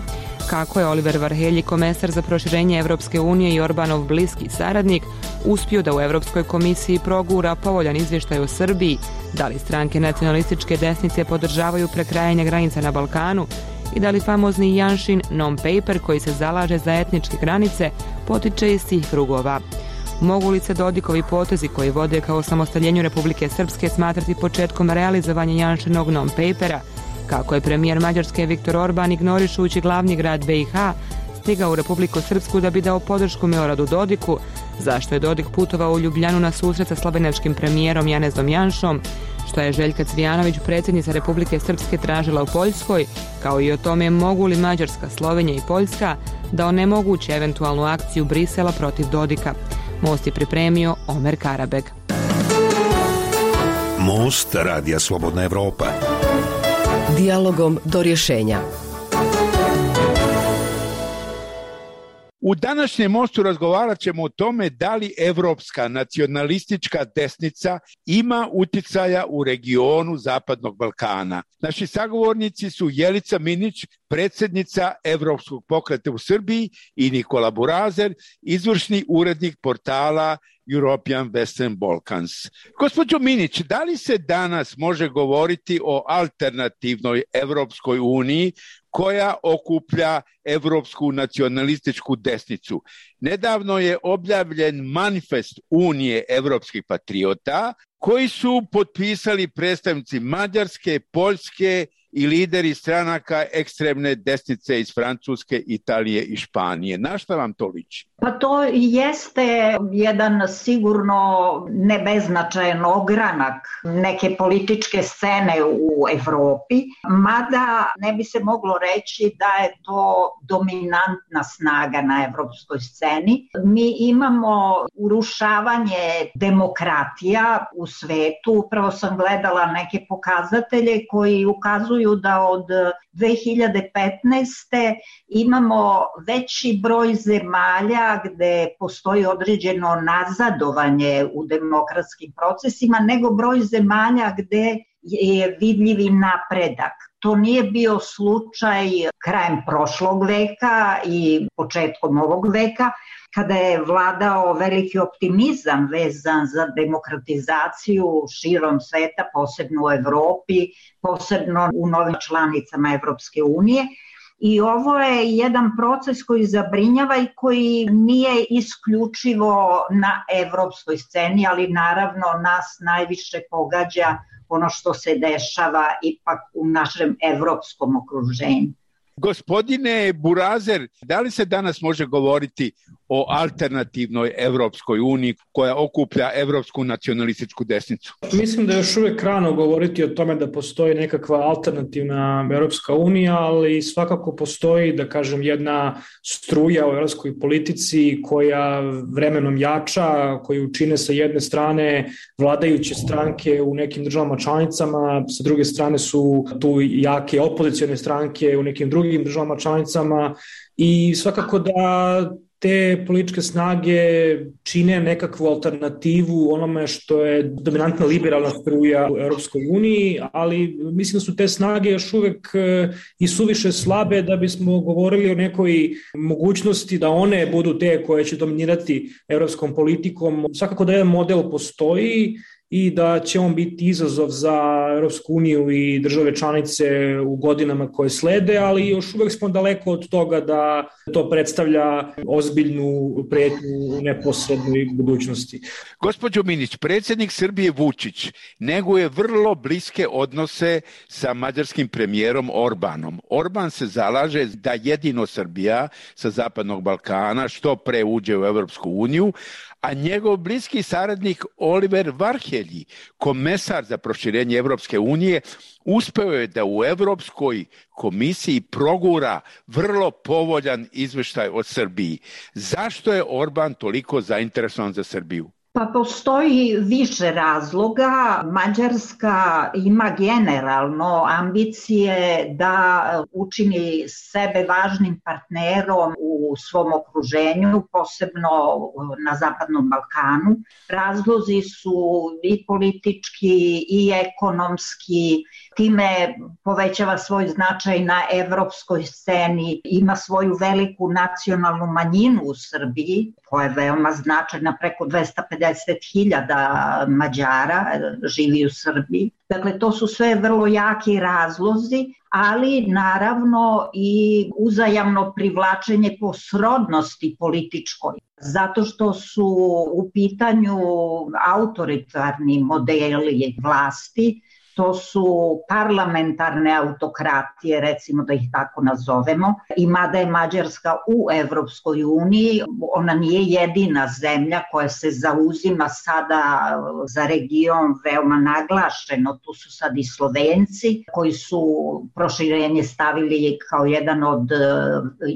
Speaker 3: Kako je Oliver Varhelji, komesar za proširenje Evropske unije i Orbanov bliski saradnik, uspio da u Evropskoj komisiji progura povoljan izvještaj o Srbiji, da li stranke nacionalističke desnice podržavaju prekrajanje granica na Balkanu i da li famozni Janšin non-paper koji se zalaže za etničke granice potiče iz tih krugova. Mogu li se Dodikovi potezi koji vode kao osamostaljenju Republike Srpske smatrati početkom realizovanja Janšinog non-papera? Kako je premijer Mađarske Viktor Orban, ignorišujući glavni grad B i H, stigao u Republiku Srpsku da bi dao podršku Miloradu Dodiku? Zašto je Dodik putovao u Ljubljanu na susret sa slovenačkim premijerom Janezom Janšom? Što je Željka Cvijanović, predsjednica Republike Srpske, tražila u Poljskoj? Kao i o tome mogu li Mađarska, Slovenija i Poljska da onemoguće eventualnu akciju Brisela protiv Dodika? Most je pripremio Omer Karabeg.
Speaker 14: Most radija Slobodna Evropa.
Speaker 12: Dijalogom do rješenja.
Speaker 7: U današnjem mostu razgovarat ćemo o tome da li evropska nacionalistička desnica ima uticaja u regionu Zapadnog Balkana. Naši sagovornici su Jelica Minić, predsjednica Evropskog pokreta u Srbiji, i Nikola Burazer, izvršni urednik portala European Western Balkans. Gospođo Minić, da li se danas može govoriti o alternativnoj Evropskoj uniji koja okuplja evropsku nacionalističku desnicu? Nedavno je objavljen manifest Unije evropskih patriota koji su potpisali predstavnici Mađarske, Poljske i lideri stranaka ekstremne desnice iz Francuske, Italije i Španije. Na šta vam to liči?
Speaker 8: Pa to jeste jedan sigurno nebeznačajan ogranak neke političke scene u Evropi, mada ne bi se moglo reći da je to dominantna snaga na evropskoj sceni. Mi imamo urušavanje demokratija u svetu. Upravo sam gledala neke pokazatelje koji ukazuju da od dve hiljade petnaeste. imamo veći broj zemalja gde postoji određeno nazadovanje u demokratskim procesima nego broj zemalja gde je vidljivi napredak. To nije bio slučaj krajem prošlog veka i početkom ovog veka, kada je vladao veliki optimizam vezan za demokratizaciju širom sveta, posebno u Evropi, posebno u novim članicama Evropske unije. I ovo je jedan proces koji zabrinjava i koji nije isključivo na evropskoj sceni, ali naravno nas najviše pogađa ono što se dešava ipak u našem evropskom okruženju.
Speaker 7: Gospodine Burazer, da li se danas može govoriti o alternativnoj Evropskoj uniji koja okuplja evropsku nacionalističku desnicu?
Speaker 9: Mislim da je još uvijek rano govoriti o tome da postoji nekakva alternativna Evropska unija, ali svakako postoji, da kažem, jedna struja u evropskoj politici koja vremenom jača, koju čine sa jedne strane vladajuće stranke u nekim državama članicama, sa druge strane su tu jake opozicione stranke u nekim drugim državama članicama i svakako da te političke snage čine nekakvu alternativu onome što je dominantna liberalna struja u Europskoj uniji, ali mislim da su te snage još uvek i suviše slabe da bismo govorili o nekoj mogućnosti da one budu te koje će dominirati europskom politikom. Svakako da jedan model postoji i da će on biti izazov za Europsku uniju i države članice u godinama koje slede, ali još uvek smo daleko od toga da to predstavlja ozbiljnu pretnju u neposrednoj budućnosti.
Speaker 7: Gospođo Minić, predsjednik Srbije Vučić neguje vrlo bliske odnose sa mađarskim premijerom Orbanom. Orban se zalaže da jedino Srbija sa Zapadnog Balkana što pre uđe u Europsku uniju, a njegov bliski saradnik Oliver Varhelji, komesar za proširenje Evropske unije, uspeo je da u Evropskoj komisiji progura vrlo povoljan izveštaj o Srbiji. Zašto je Orban toliko zainteresovan za Srbiju?
Speaker 8: Pa postoji više razloga. Mađarska ima generalno ambicije da učini sebe važnim partnerom u svom okruženju, posebno na Zapadnom Balkanu. Razlozi su i politički i ekonomski, time povećava svoj značaj na evropskoj sceni, ima svoju veliku nacionalnu manjinu u Srbiji, koja je veoma značajna, preko dvesta pedeset hiljada Mađara živi u Srbiji. Dakle, to su sve vrlo jaki razlozi, ali naravno i uzajamno privlačenje po srodnosti političkoj. Zato što su u pitanju autoritarni modeli vlasti, to su parlamentarne autokratije, recimo da ih tako nazovemo. I mada je Mađarska u Evropskoj uniji, ona nije jedina zemlja koja se zauzima sada za region veoma naglašeno. Tu su sad i Slovenci koji su proširenje stavili kao jedan od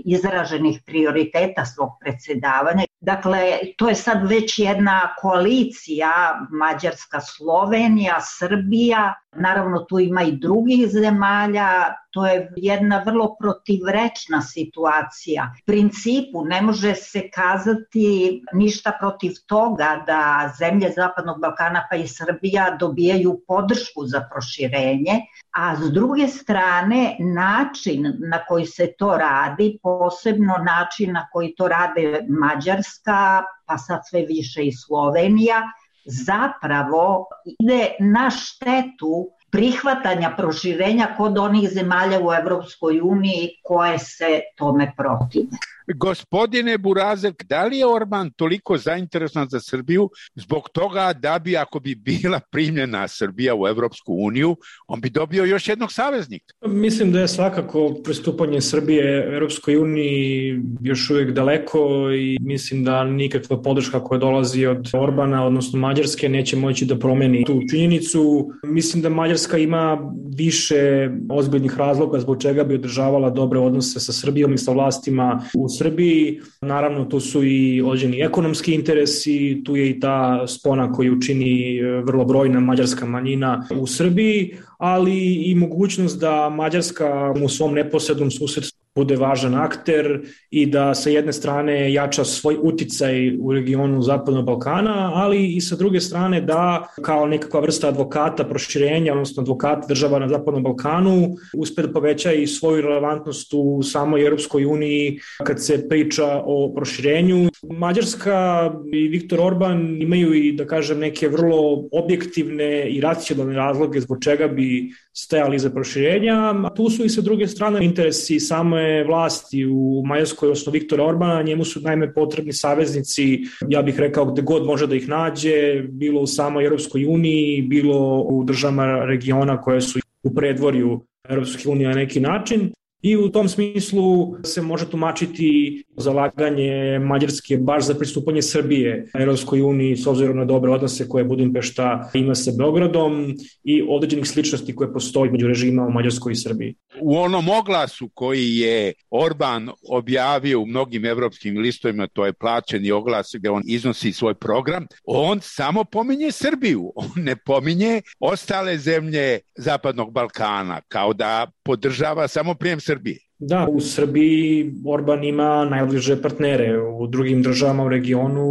Speaker 8: izraženih prioriteta svog predsjedavanja. Dakle, to je sad već jedna koalicija Mađarska-Slovenija, Srbija, naravno tu ima i drugih zemalja, to je jedna vrlo protivrečna situacija. U principu ne može se kazati ništa protiv toga da zemlje Zapadnog Balkana pa i Srbija dobijaju podršku za proširenje, a s druge strane način na koji se to radi, posebno način na koji to rade Mađarska, pa sad sve više i Slovenija, zapravo ide na štetu prihvatanja proširenja kod onih zemalja u Evropskoj uniji koje se tome protive.
Speaker 7: Gospodine Burazek, da li je Orban toliko zainteresovan za Srbiju zbog toga da bi, ako bi bila primljena Srbija u Evropsku uniju, on bi dobio još jednog saveznika?
Speaker 9: Mislim da je svakako pristupanje Srbije Evropskoj uniji još uvijek daleko i mislim da nikakva podrška koja dolazi od Orbana, odnosno Mađarske, neće moći da promeni tu činjenicu. Mislim da Mađarska ima više ozbiljnih razloga zbog čega bi održavala dobre odnose sa Srbijom i sa vlastima u Srbiji. Naravno, tu su i određeni ekonomski interesi, tu je i ta spona koju čini vrlo brojna mađarska manjina u Srbiji, ali i mogućnost da Mađarska u svom neposrednom susjedstvu bude važan akter i da sa jedne strane jača svoj uticaj u regionu Zapadnog Balkana, ali i sa druge strane da kao nekakva vrsta advokata proširenja, odnosno advokata država na Zapadnom Balkanu, uspe da poveća i svoju relevantnost u samoj Europskoj uniji kad se priča o proširenju. Mađarska i Viktor Orban imaju i, da kažem, neke vrlo objektivne i racionalne razloge zbog čega bi stajali iza proširenja, a tu su i sa druge strane interesi same vlasti u Mađarskoj, odnosno Viktora Orbana. Njemu su naime potrebni saveznici, ja bih rekao, gde god može da ih nađe, bilo u samoj Europskoj uniji, bilo u državama regiona koje su u predvorju Europske unije na neki način. I u tom smislu se može tumačiti zalaganje Mađarske baš za pristupanje Srbije Evropskoj uniji s obzirom na dobre odnose koje Budimpešta ima sa Beogradom i određenih sličnosti koje postoji među režima u Mađarskoj i Srbiji.
Speaker 7: U onom oglasu koji je Orban objavio u mnogim evropskim listovima, to je plaćeni oglas gde on iznosi svoj program, on samo pominje Srbiju, on ne pominje ostale zemlje Zapadnog Balkana, kao da podržava samo prijem Srbije.
Speaker 9: Da, u Srbiji Orban ima najbliže partnere, u drugim državama u regionu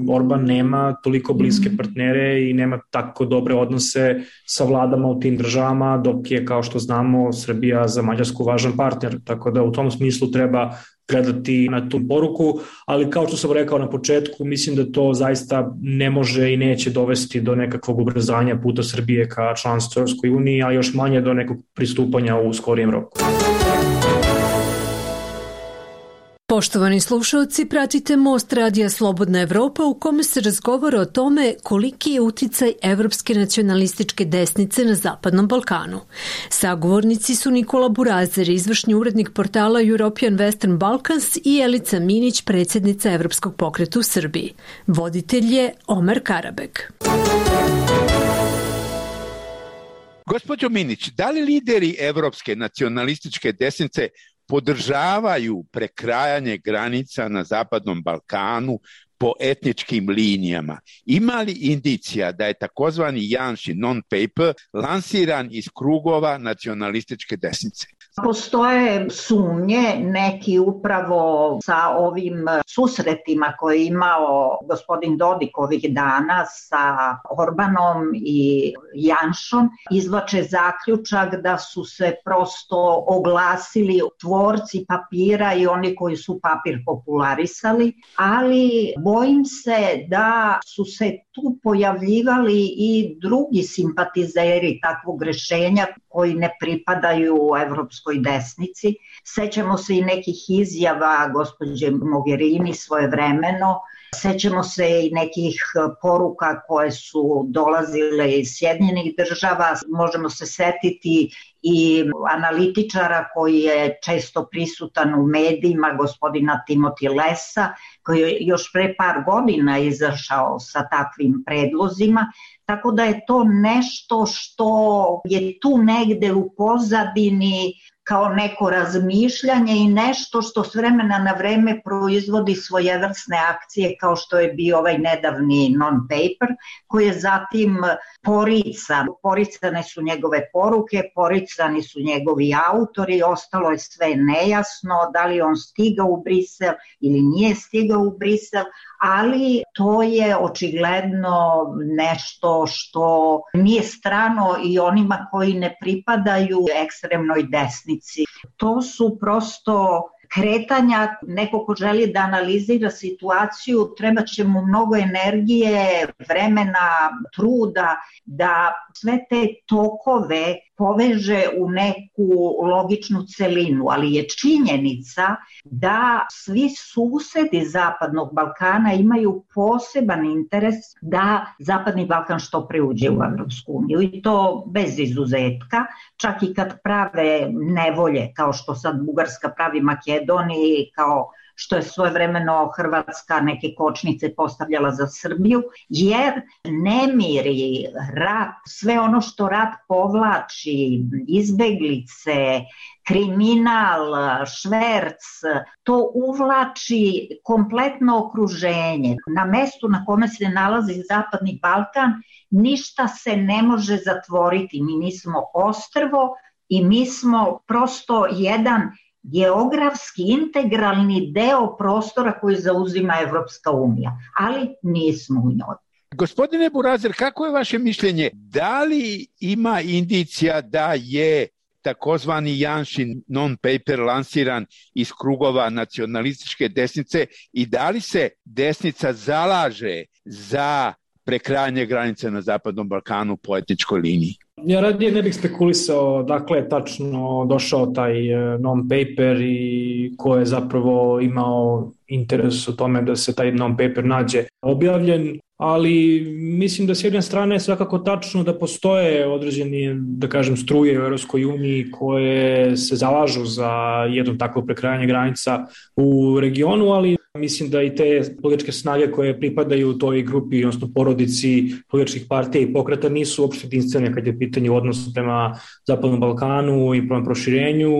Speaker 9: Orban nema toliko bliske partnere i nema tako dobre odnose sa vladama u tim državama, dok je, kao što znamo, Srbija za Mađarsku važan partner, tako da u tom smislu treba gledati na tu poruku, ali kao što sam rekao na početku, mislim da to zaista ne može i neće dovesti do nekakvog ubrzanja puta Srbije ka članstvu Europskoj uniji, a još manje do nekog pristupanja u skorijem roku.
Speaker 4: Poštovani slušalci, pratite Most radija Slobodna Evropa u kome se razgovara o tome koliki je uticaj evropske nacionalističke desnice na Zapadnom Balkanu. Sagovornici su Nikola Burazer, izvršni urednik portala European Western Balkans, i Elica Minić, predsjednica Evropskog pokreta u Srbiji. Voditelj je Omer Karabek.
Speaker 7: Gospođo Minić, da li lideri evropske nacionalističke desnice podržavaju prekrajanje granica na Zapadnom Balkanu po etničkim linijama? Ima li indicija da je takozvani Janšin non-paper lansiran iz krugova nacionalističke desnice?
Speaker 8: Postoje sumnje, neki upravo sa ovim susretima koje je imao gospodin Dodik ovih dana sa Orbanom i Janšom, izvlače zaključak da su se prosto oglasili tvorci papira i oni koji su papir popularisali, ali bojim se da su se tu pojavljivali i drugi simpatizeri takvog rešenja koji ne pripadaju evropskoj desnici. Sećamo se i nekih izjava gospođe Mogherini svojevremeno, sećamo se i nekih poruka koje su dolazile iz Sjedinjenih država, možemo se setiti i analitičara koji je često prisutan u medijima, gospodina Timothy Lessa, koji je još pre par godina izašao sa takvim predlozima, tako da je to nešto što je tu negde u pozadini kao neko razmišljanje i nešto što s vremena na vreme proizvodi svojevrsne akcije, kao što je bio ovaj nedavni non-paper, koji je zatim porican. Poricane su njegove poruke, poricani su njegovi autori, ostalo je sve nejasno, da li on stigao u Brisel ili nije stigao u Brisel, ali to je očigledno nešto što nije strano i onima koji ne pripadaju ekstremnoj desnici. To su prosto kretanja, neko ko želi da analizira situaciju, treba će mu mnogo energije, vremena, truda da sve te tokove poveže u neku logičnu celinu, ali je činjenica da svi susedi Zapadnog Balkana imaju poseban interes da Zapadni Balkan što pre uđe u Evropsku uniju i to bez izuzetka, čak i kad prave nevolje, kao što sad Bugarska pravi Makedoniji, kao što je svojevremeno Hrvatska neke kočnice postavljala za Srbiju, jer nemiri, rat, sve ono što rat povlači, izbeglice, kriminal, šverc, to uvlači kompletno okruženje. Na mestu na kome se nalazi Zapadni Balkan ništa se ne može zatvoriti. Mi nismo ostrvo i mi smo prosto jedan geografski integralni deo prostora koji zauzima Evropska unija, ali nismo u njoj.
Speaker 7: Gospodine Burazer, kako je vaše mišljenje? Da li ima indicija da je takozvani Janšin non-paper lansiran iz krugova nacionalističke desnice i da li se desnica zalaže za prekrajanje granice na Zapadnom Balkanu po etničkoj liniji?
Speaker 9: Ja radije ne bih spekulisao dakle je tačno došao taj non-paper i ko je zapravo imao interes u tome da se taj non-paper nađe objavljen, ali mislim da s jedne strane je svakako tačno da postoje određeni, da kažem, struje u Europskoj uniji koje se zalažu za jedno takvo prekrajanje granica u regionu, ali mislim da i te političke snage koje pripadaju toj grupi, odnosno porodici političkih partija i pokreta nisu uopšte jedinstvene kad je pitanje odnosa prema Zapadnom Balkanu i prema proširenju,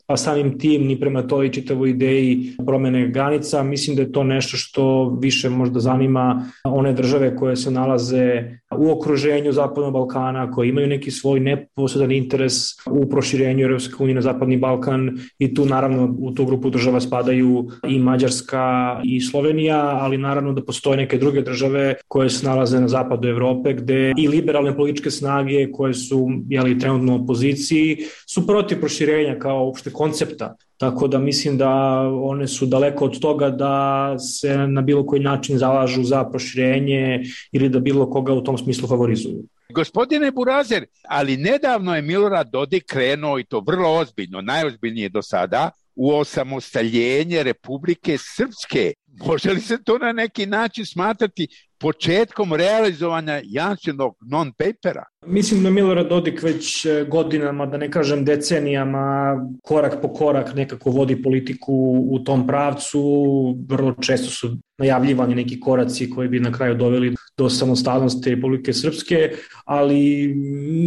Speaker 9: a samim tim ni prema toj čitavoj ideji promene granica. Mislim da je to nešto što više možda zanima one države koje se nalaze u okruženju Zapadnog Balkana, koji imaju neki svoj neposredan interes u proširenju Europske unije na Zapadni Balkan i tu naravno u tu grupu država spadaju i Mađarska i Slovenija, ali naravno da postoje neke druge države koje se nalaze na zapadu Evrope gde i liberalne političke snage koje su jeli, trenutno u opoziciji su protiv proširenja kao uopšte koncepta. Tako da mislim da one su daleko od toga da se na bilo koji način zalažu za proširenje ili da bilo koga u tom smislu favorizuju.
Speaker 7: Gospodine Burazer, ali nedavno je Milorad Dodik krenuo, i to vrlo ozbiljno, najozbiljnije do sada, u osamostaljenje Republike Srpske. Može li se to na neki način smatrati početkom realizovanja Janšinog non-papera?
Speaker 9: Mislim da Milorad Dodik već godinama, da ne kažem decenijama, korak po korak nekako vodi politiku u tom pravcu. Vrlo često su najavljivani neki koraci koji bi na kraju doveli do samostalnosti Republike Srpske, ali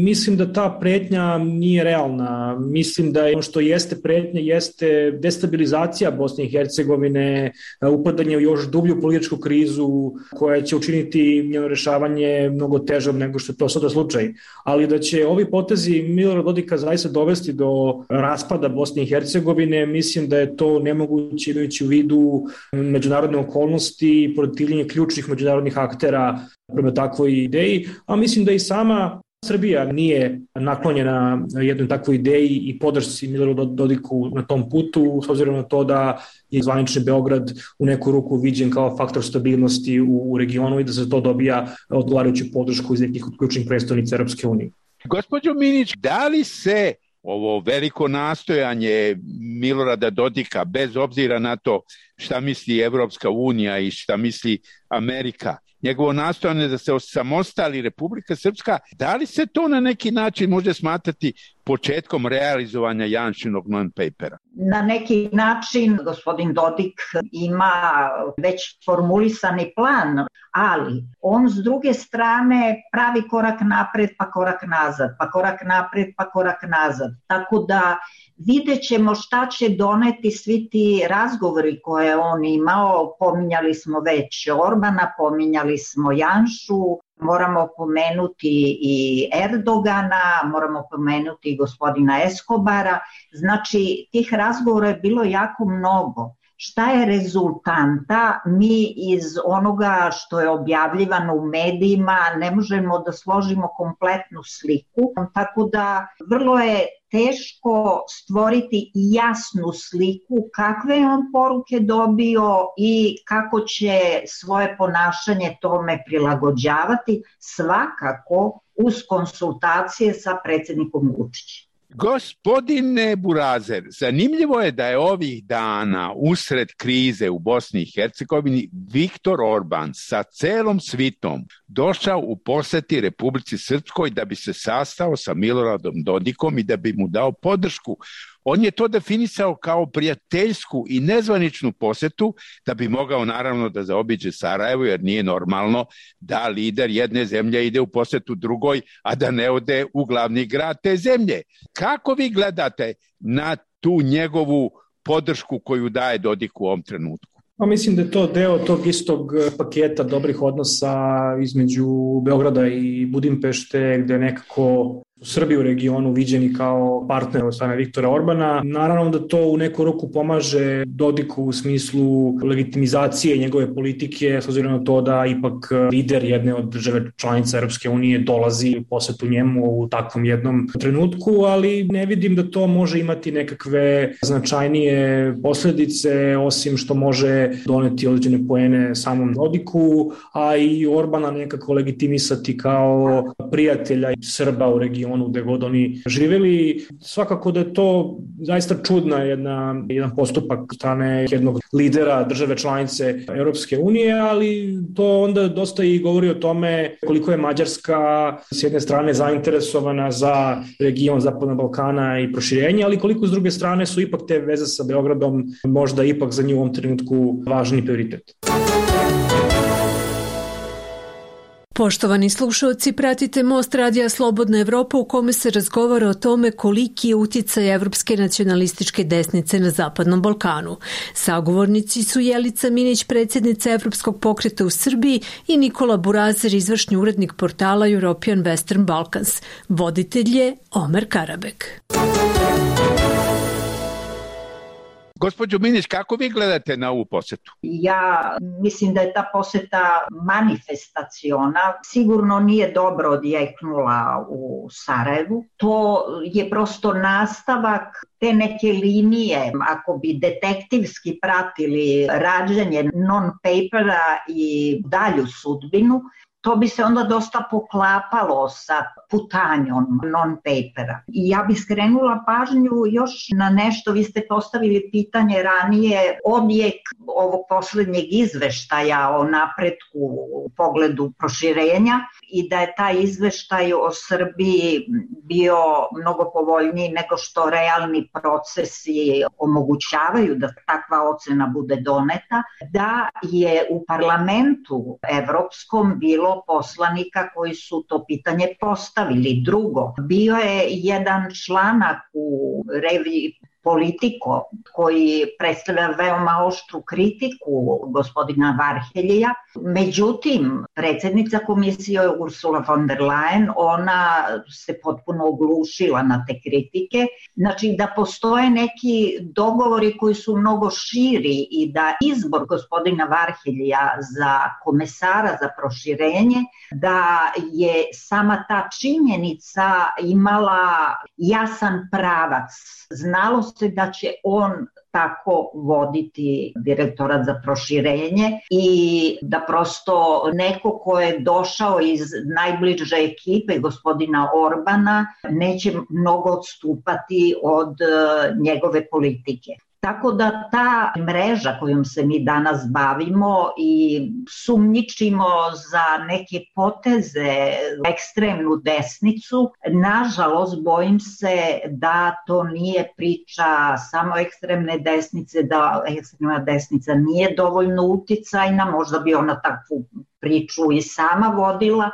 Speaker 9: mislim da ta pretnja nije realna. Mislim da ono što jeste pretnja jeste destabilizacija Bosne i Hercegovine, upadanje u još dublju političku krizu koja će učiniti njeno rešavanje mnogo težom nego što je to sada slučaj. Ali da će ovi potezi Milorada Dodika zaista dovesti do raspada Bosne i Hercegovine, mislim da je to nemoguće imajući u vidu međunarodne okolnosti i protivljenje ključnih međunarodnih aktera prema takvoj ideji, a mislim da i sama Srbija nije naklonjena jednoj takvoj ideji i podršci Miloradu Dodiku na tom putu, s obzirom na to da je zvanični Beograd u neku ruku viđen kao faktor stabilnosti u regionu i da se to dobija odgovarajuću podršku iz nekih ključnih predstavnica Europske unije.
Speaker 7: Gospođo Minić, da li se ovo veliko nastojanje Milorada Dodika, bez obzira na to šta misli Evropska unija i šta misli Amerika, njegovo nastojanje da se osamostali Republika Srpska, da li se to na neki način može smatrati početkom realizovanja Janšinog non-papera?
Speaker 8: Na neki način gospodin Dodik ima već formulisani plan, ali on s druge strane pravi korak napred pa korak nazad, pa korak napred pa korak nazad. Tako da vidjet ćemo šta će doneti svi ti razgovori koje on imao. Pominjali smo već Orbana, pominjali smo Janšu, moramo pomenuti i Erdogana, moramo pomenuti i gospodina Eskobara. Znači, tih razgovora je bilo jako mnogo. Šta je rezultanta? Mi iz onoga što je objavljivano u medijima ne možemo da složimo kompletnu sliku, tako da vrlo je teško stvoriti jasnu sliku kakve je on poruke dobio i kako će svoje ponašanje tome prilagođavati, svakako uz konsultacije sa predsjednikom Vučićem.
Speaker 7: Gospodine Burazer, zanimljivo je da je ovih dana usred krize u Bosni i Hercegovini Viktor Orban sa celom svitom došao u poseti Republici Srpskoj da bi se sastao sa Miloradom Dodikom i da bi mu dao podršku. On je to definisao kao prijateljsku i nezvaničnu posetu da bi mogao naravno da zaobiđe Sarajevo, jer nije normalno da lider jedne zemlje ide u posetu drugoj, a da ne ode u glavni grad te zemlje. Kako vi gledate na tu njegovu podršku koju daje Dodik u ovom trenutku?
Speaker 9: Pa mislim da je to deo tog istog paketa dobrih odnosa između Beograda i Budimpešte, gde nekako Srbiju u regionu viđeni kao partner od strane Viktora Orbana. Naravno da to u neku ruku pomaže Dodiku u smislu legitimizacije njegove politike, s obzirom na to da ipak lider jedne od države članica Europske unije dolazi u posetu njemu u takvom jednom trenutku, ali ne vidim da to može imati nekakve značajnije posledice, osim što može doneti određene poene samom Dodiku, a i Orbana nekako legitimisati kao prijatelja Srba u regionu gde god oni živeli. Svakako da je to zaista čudna jedna, jedan postupak strane jednog lidera države članice Europske unije, ali to onda dosta i govori o tome koliko je Mađarska s jedne strane zainteresovana za region Zapadnog Balkana i proširenje, ali koliko s druge strane su ipak te veze sa Beogradom možda ipak za nju u ovom trenutku važni prioritet.
Speaker 4: Poštovani slušalci, pratite Most radija Slobodna Evropa u kome se razgovara o tome koliki je uticaj evropske nacionalističke desnice na Zapadnom Balkanu. Sagovornici su Jelica Minić, predsjednica Evropskog pokreta u Srbiji, i Nikola Burazer, izvršni urednik portala European Western Balkans. Voditelj je Omer Karabek.
Speaker 7: Gospođo Minić, kako vi gledate na ovu posetu?
Speaker 8: Ja mislim da je ta poseta manifestaciona, sigurno nije dobro odjeknula u Sarajevu. To je prosto nastavak te neke linije, ako bi detektivski pratili rađanje non-papera i dalju sudbinu, to bi se onda dosta poklapalo sa putanjom non-papera. I ja bih skrenula pažnju još na nešto, vi ste postavili pitanje ranije, odjek ovog poslednjeg izveštaja o napretku u pogledu proširenja i da je taj izveštaj o Srbiji bio mnogo povoljniji nego što realni procesi omogućavaju da takva ocena bude doneta, da je u parlamentu evropskom bilo poslanika koji su to pitanje postavili. Drugo, bio je jedan članak u reviji Politiko koji predstavlja veoma oštru kritiku gospodina Varheljija. Međutim, predsjednica komisije Ursula von der Leyen, ona se potpuno oglušila na te kritike. Znači da postoje neki dogovori koji su mnogo širi i da izbor gospodina Varheljija za komesara za proširenje, da je sama ta činjenica imala jasan pravac. Znalo se da će on tako voditi direktorat za proširenje i da prosto neko ko je došao iz najbliže ekipe gospodina Orbana neće mnogo odstupati od njegove politike. Tako da ta mreža kojom se mi danas bavimo i sumnjičimo za neke poteze ekstremnu desnicu, nažalost bojim se da to nije priča samo ekstremne desnice, da ekstremna desnica nije dovoljno uticajna, možda bi ona takvu priču i sama vodila,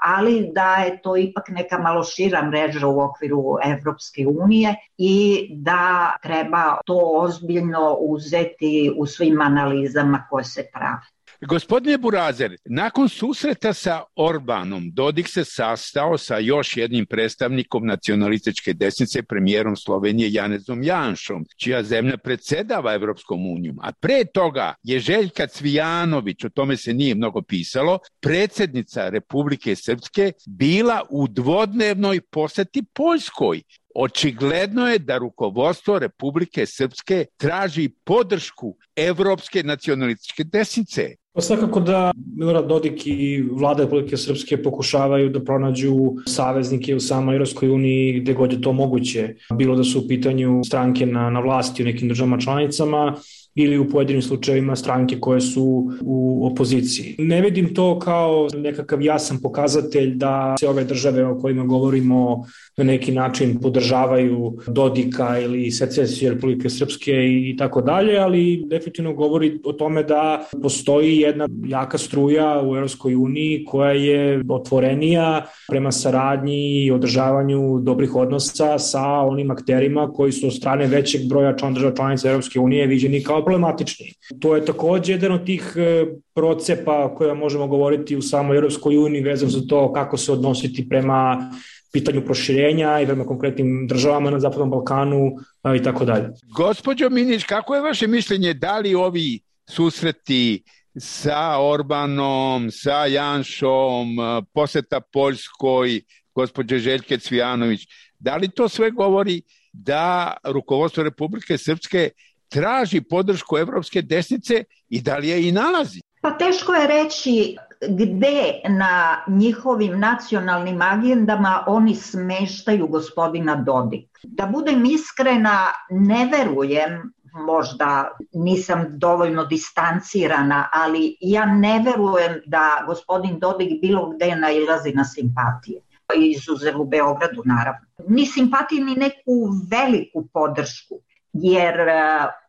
Speaker 8: ali da je to ipak neka malo šira mreža u okviru Evropske unije i da treba to ozbiljno uzeti u svim analizama koje se prave.
Speaker 7: Gospodine Burazer, nakon susreta sa Orbanom, Dodik se sastao sa još jednim predstavnikom nacionalističke desnice, premijerom Slovenije Janezom Janšom, čija zemlja predsedava Evropskom unijom. A pre toga je Željka Cvijanović, o tome se nije mnogo pisalo, predsjednica Republike Srpske, bila u dvodnevnoj poseti Poljskoj. Očigledno je da rukovodstvo Republike Srpske traži podršku evropske nacionalističke desnice.
Speaker 9: Pa svakako da Milorad Dodik i vlada Republike Srpske pokušavaju da pronađu saveznike u samoj Evropskoj uniji gde god je to moguće. Bilo da su u pitanju stranke na, na vlasti u nekim državama članicama ili u pojedinim slučajevima stranke koje su u opoziciji. Ne vidim to kao nekakav jasan pokazatelj da se ove države o kojima govorimo na neki način podržavaju Dodika ili secesiju Republike Srpske i tako dalje, ali definitivno govori o tome da postoji jedna jaka struja u Evropskoj uniji koja je otvorenija prema saradnji i održavanju dobrih odnosa sa onim akterima koji su od strane većeg broja član država članica Evropske unije viđeni kao problematični. To je takođe jedan od tih procepa o kojima možemo govoriti u samoj Evropskoj uniji vezano za to kako se odnositi prema pitanju proširenja i prema konkretnim državama na Zapadnom Balkanu i tako dalje.
Speaker 7: Gospođo Minić, kako je vaše mišljenje, da li ovi susreti sa Orbanom, sa Janšom, poseta Poljskoj, gospođe Željke Cvijanović, da li to sve govori da rukovodstvo Republike Srpske traži podršku evropske desnice i da li je i nalazi?
Speaker 8: Pa teško je reći gde na njihovim nacionalnim agendama oni smeštaju gospodina Dodika. Da budem iskrena, ne verujem, možda nisam dovoljno distancirana, ali ja ne verujem da gospodin Dodik bilo gde nailazi na simpatije. Izuzev u Beogradu, naravno. Ni simpatije, ni neku veliku podršku. jer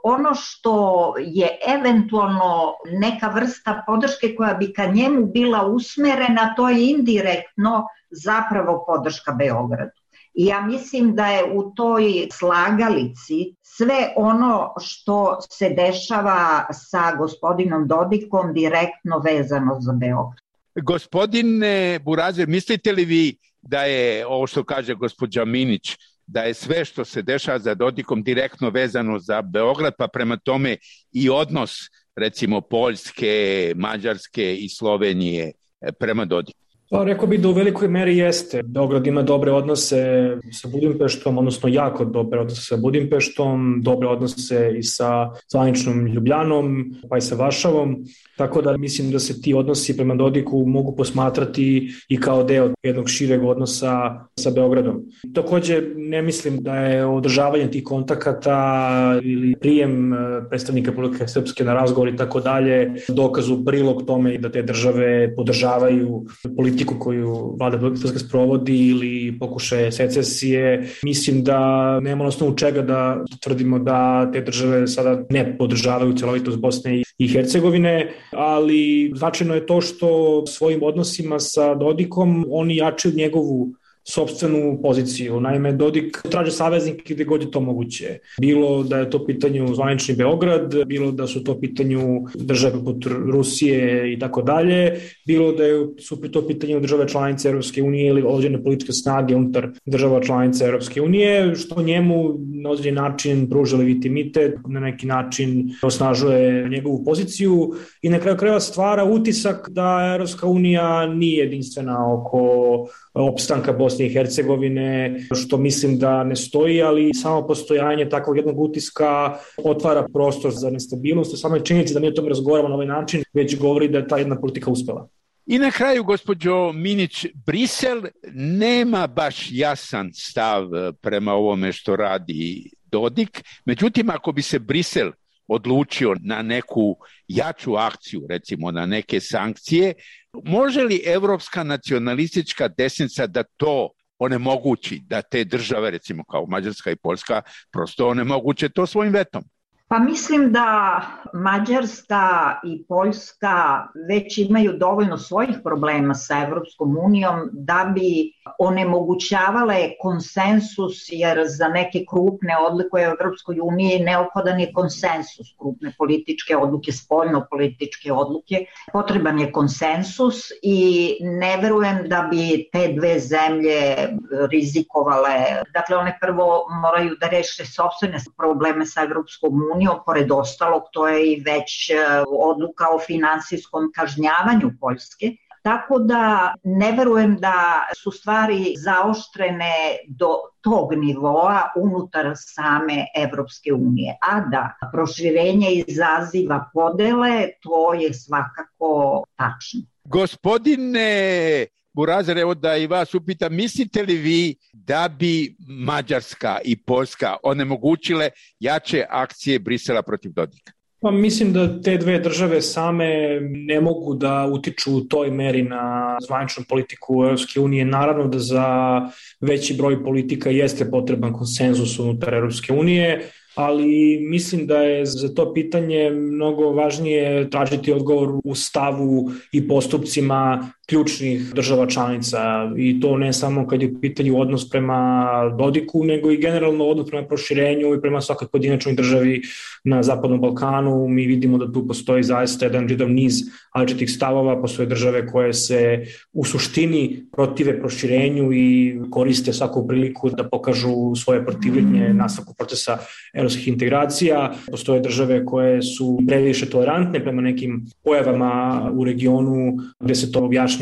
Speaker 8: ono što je eventualno neka vrsta podrške koja bi ka njemu bila usmerena, to je indirektno zapravo podrška Beogradu. I ja mislim da je u toj slagalici sve ono što se dešava sa gospodinom Dodikom direktno vezano za Beograd.
Speaker 7: Gospodine Burazer, mislite li vi da je ovo što kaže gospođa Minić, da je sve što se dešava za Dodikom direktno vezano za Beograd, pa prema tome i odnos recimo Poljske, Mađarske i Slovenije prema Dodiku?
Speaker 9: Pa rekao bih da u velikoj meri jeste. Beograd ima dobre odnose sa Budimpeštom, odnosno jako dobre odnose sa Budimpeštom, dobre odnose i sa zvaničnom Ljubljanom, pa i sa Varšavom. Tako da mislim da se ti odnosi prema Dodiku mogu posmatrati i kao deo jednog šireg odnosa sa Beogradom. Takođe ne mislim da je održavanje tih kontakata ili prijem predstavnika Republike Srpske na razgovor i tako dalje dokaz u prilog tome da te države podržavaju politiku koju vlada Republike Srpske sprovodi ili pokušaje secesije. Mislim da nema na osnovu čega da tvrdimo da te države sada ne podržavaju celovitost Bosne i Hercegovine, ali značajno je to što svojim odnosima sa Dodikom oni jačaju njegovu sopstvenu poziciju. Naime, Dodik traže saveznike gde god je to moguće. Bilo da je to pitanju zvanični Beograd, bilo da su to pitanju države poput Rusije i tako dalje, bilo da su to pitanju države članice Europske unije ili određene političke snage unutar država članica Europske unije, što njemu na određen način pruža legitimitet, na neki način osnažuje njegovu poziciju i na kraju krajeva stvara utisak da Europska unija nije jedinstvena oko opstanka Bosne i Hercegovine, što mislim da ne stoji, ali samo postojanje takvog jednog utiska otvara prostor za nestabilnost. Samo je činjenica da mi o tome razgovaramo na ovaj način, već govori da je ta jedna politika uspela.
Speaker 7: I na kraju, gospođo Minić, Brisel nema baš jasan stav prema ovome što radi Dodik. Međutim, ako bi se Brisel odlučio na neku jaču akciju, recimo na neke sankcije, može li evropska nacionalistička desnica da to onemogući, da te države, recimo kao Mađarska i Poljska, prosto onemoguće to svojim vetom?
Speaker 8: Pa mislim da Mađarska i Poljska već imaju dovoljno svojih problema sa Evropskom unijom da bi onemogućavale konsensus, jer za neke krupne odluke u Evropskoj uniji neophodan je konsensus, krupne političke odluke, spoljno političke odluke. Potreban je konsensus i ne verujem da bi te dve zemlje rizikovale. Dakle, one prvo moraju da reše sopstvene probleme sa Evropskom unijom. Pored ostalog, to je i već odluka o finansijskom kažnjavanju Poljske. Tako da ne verujem da su stvari zaoštrene do tog nivoa unutar same Evropske unije. A da proširenje izaziva podele, to je svakako tačno.
Speaker 7: Gospodine Burazer, evo da i vas upitam, mislite li vi da bi Mađarska i Poljska onemogućile jače akcije Brisela protiv Dodika?
Speaker 9: Pa mislim da te dve države same ne mogu da utiču u toj meri na zvaničnu politiku Europske unije. Naravno da za veći broj politika jeste potreban konsenzus unutar Europske unije, ali mislim da je za to pitanje mnogo važnije tražiti odgovor u stavu i postupcima ključnih država članica, i to ne samo kad je u pitanju odnos prema Dodiku, nego i generalno odnos prema proširenju i prema svakoj pojedinačnoj državi na Zapadnom Balkanu. Mi vidimo da tu postoji zaista jedan čitav niz različitih stavova, postoje države koje se u suštini protive proširenju i koriste svaku priliku da pokažu svoje protivljenje nastavku procesa evropskih integracija. Postoje države koje su previše tolerantne prema nekim pojavama u regionu gde se to objašnjava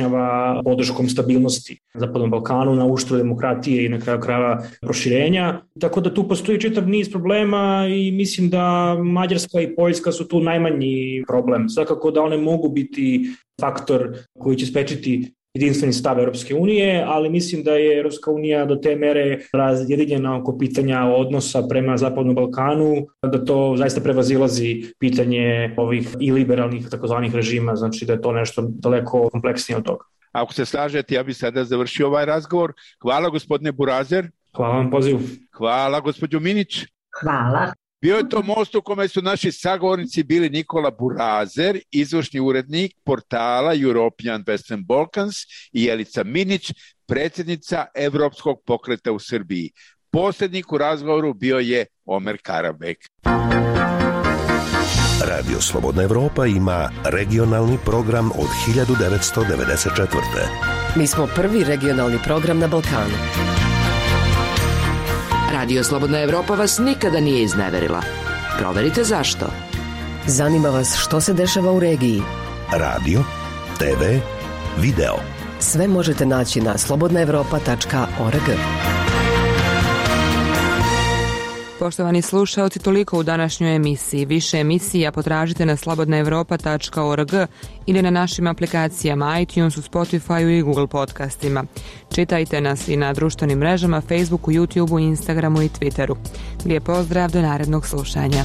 Speaker 9: podrškom stabilnosti na Zapadnom Balkanu, na uštru demokratije i na kraju krajeva proširenja. Tako da tu postoji čitav niz problema i mislim da Mađarska i Poljska su tu najmanji problem. Svakako da one mogu biti faktor koji će sprečiti jedinstveni stav Europske unije, ali mislim da je Europska unija do te mere razjedinjena oko pitanja odnosa prema Zapadnom Balkanu, da to zaista prevazilazi pitanje ovih i liberalnih takozvanih režima, znači da je to nešto daleko kompleksnije od toga.
Speaker 7: Ako se slažete, ja bih sada završio ovaj razgovor. Hvala gospodine Burazer.
Speaker 9: Hvala vam pozivu.
Speaker 7: Hvala gospođo Minić.
Speaker 8: Hvala.
Speaker 7: Bio je to most u kome su naši sagovornici bili Nikola Burazer, izvršni urednik portala European Western Balkans, i Jelica Minić, predsjednica Evropskog pokreta u Srbiji. Posrednik u razgovoru bio je Omer Karabek.
Speaker 14: Radio Slobodna Evropa ima regionalni program od hiljadu devetsto devedeset četvrte.
Speaker 12: Mi smo prvi regionalni program na Balkanu.
Speaker 10: Radio Slobodna Evropa vas nikada nije izneverila. Proverite zašto.
Speaker 12: Zanima vas što se dešava u regiji.
Speaker 14: Radio, te ve, video.
Speaker 12: Sve možete naći na slobodna evropa tačka org.
Speaker 3: Poštovani slušaoci, toliko u današnjoj emisiji. Više emisija potražite na slobodna evropa tačka org ili na našim aplikacijama iTunesu, Spotifyu i Google podcastima. Čitajte nas i na društvenim mrežama, Facebooku, YouTubeu, Instagramu i Twitteru. Lijep pozdrav, do narednog slušanja.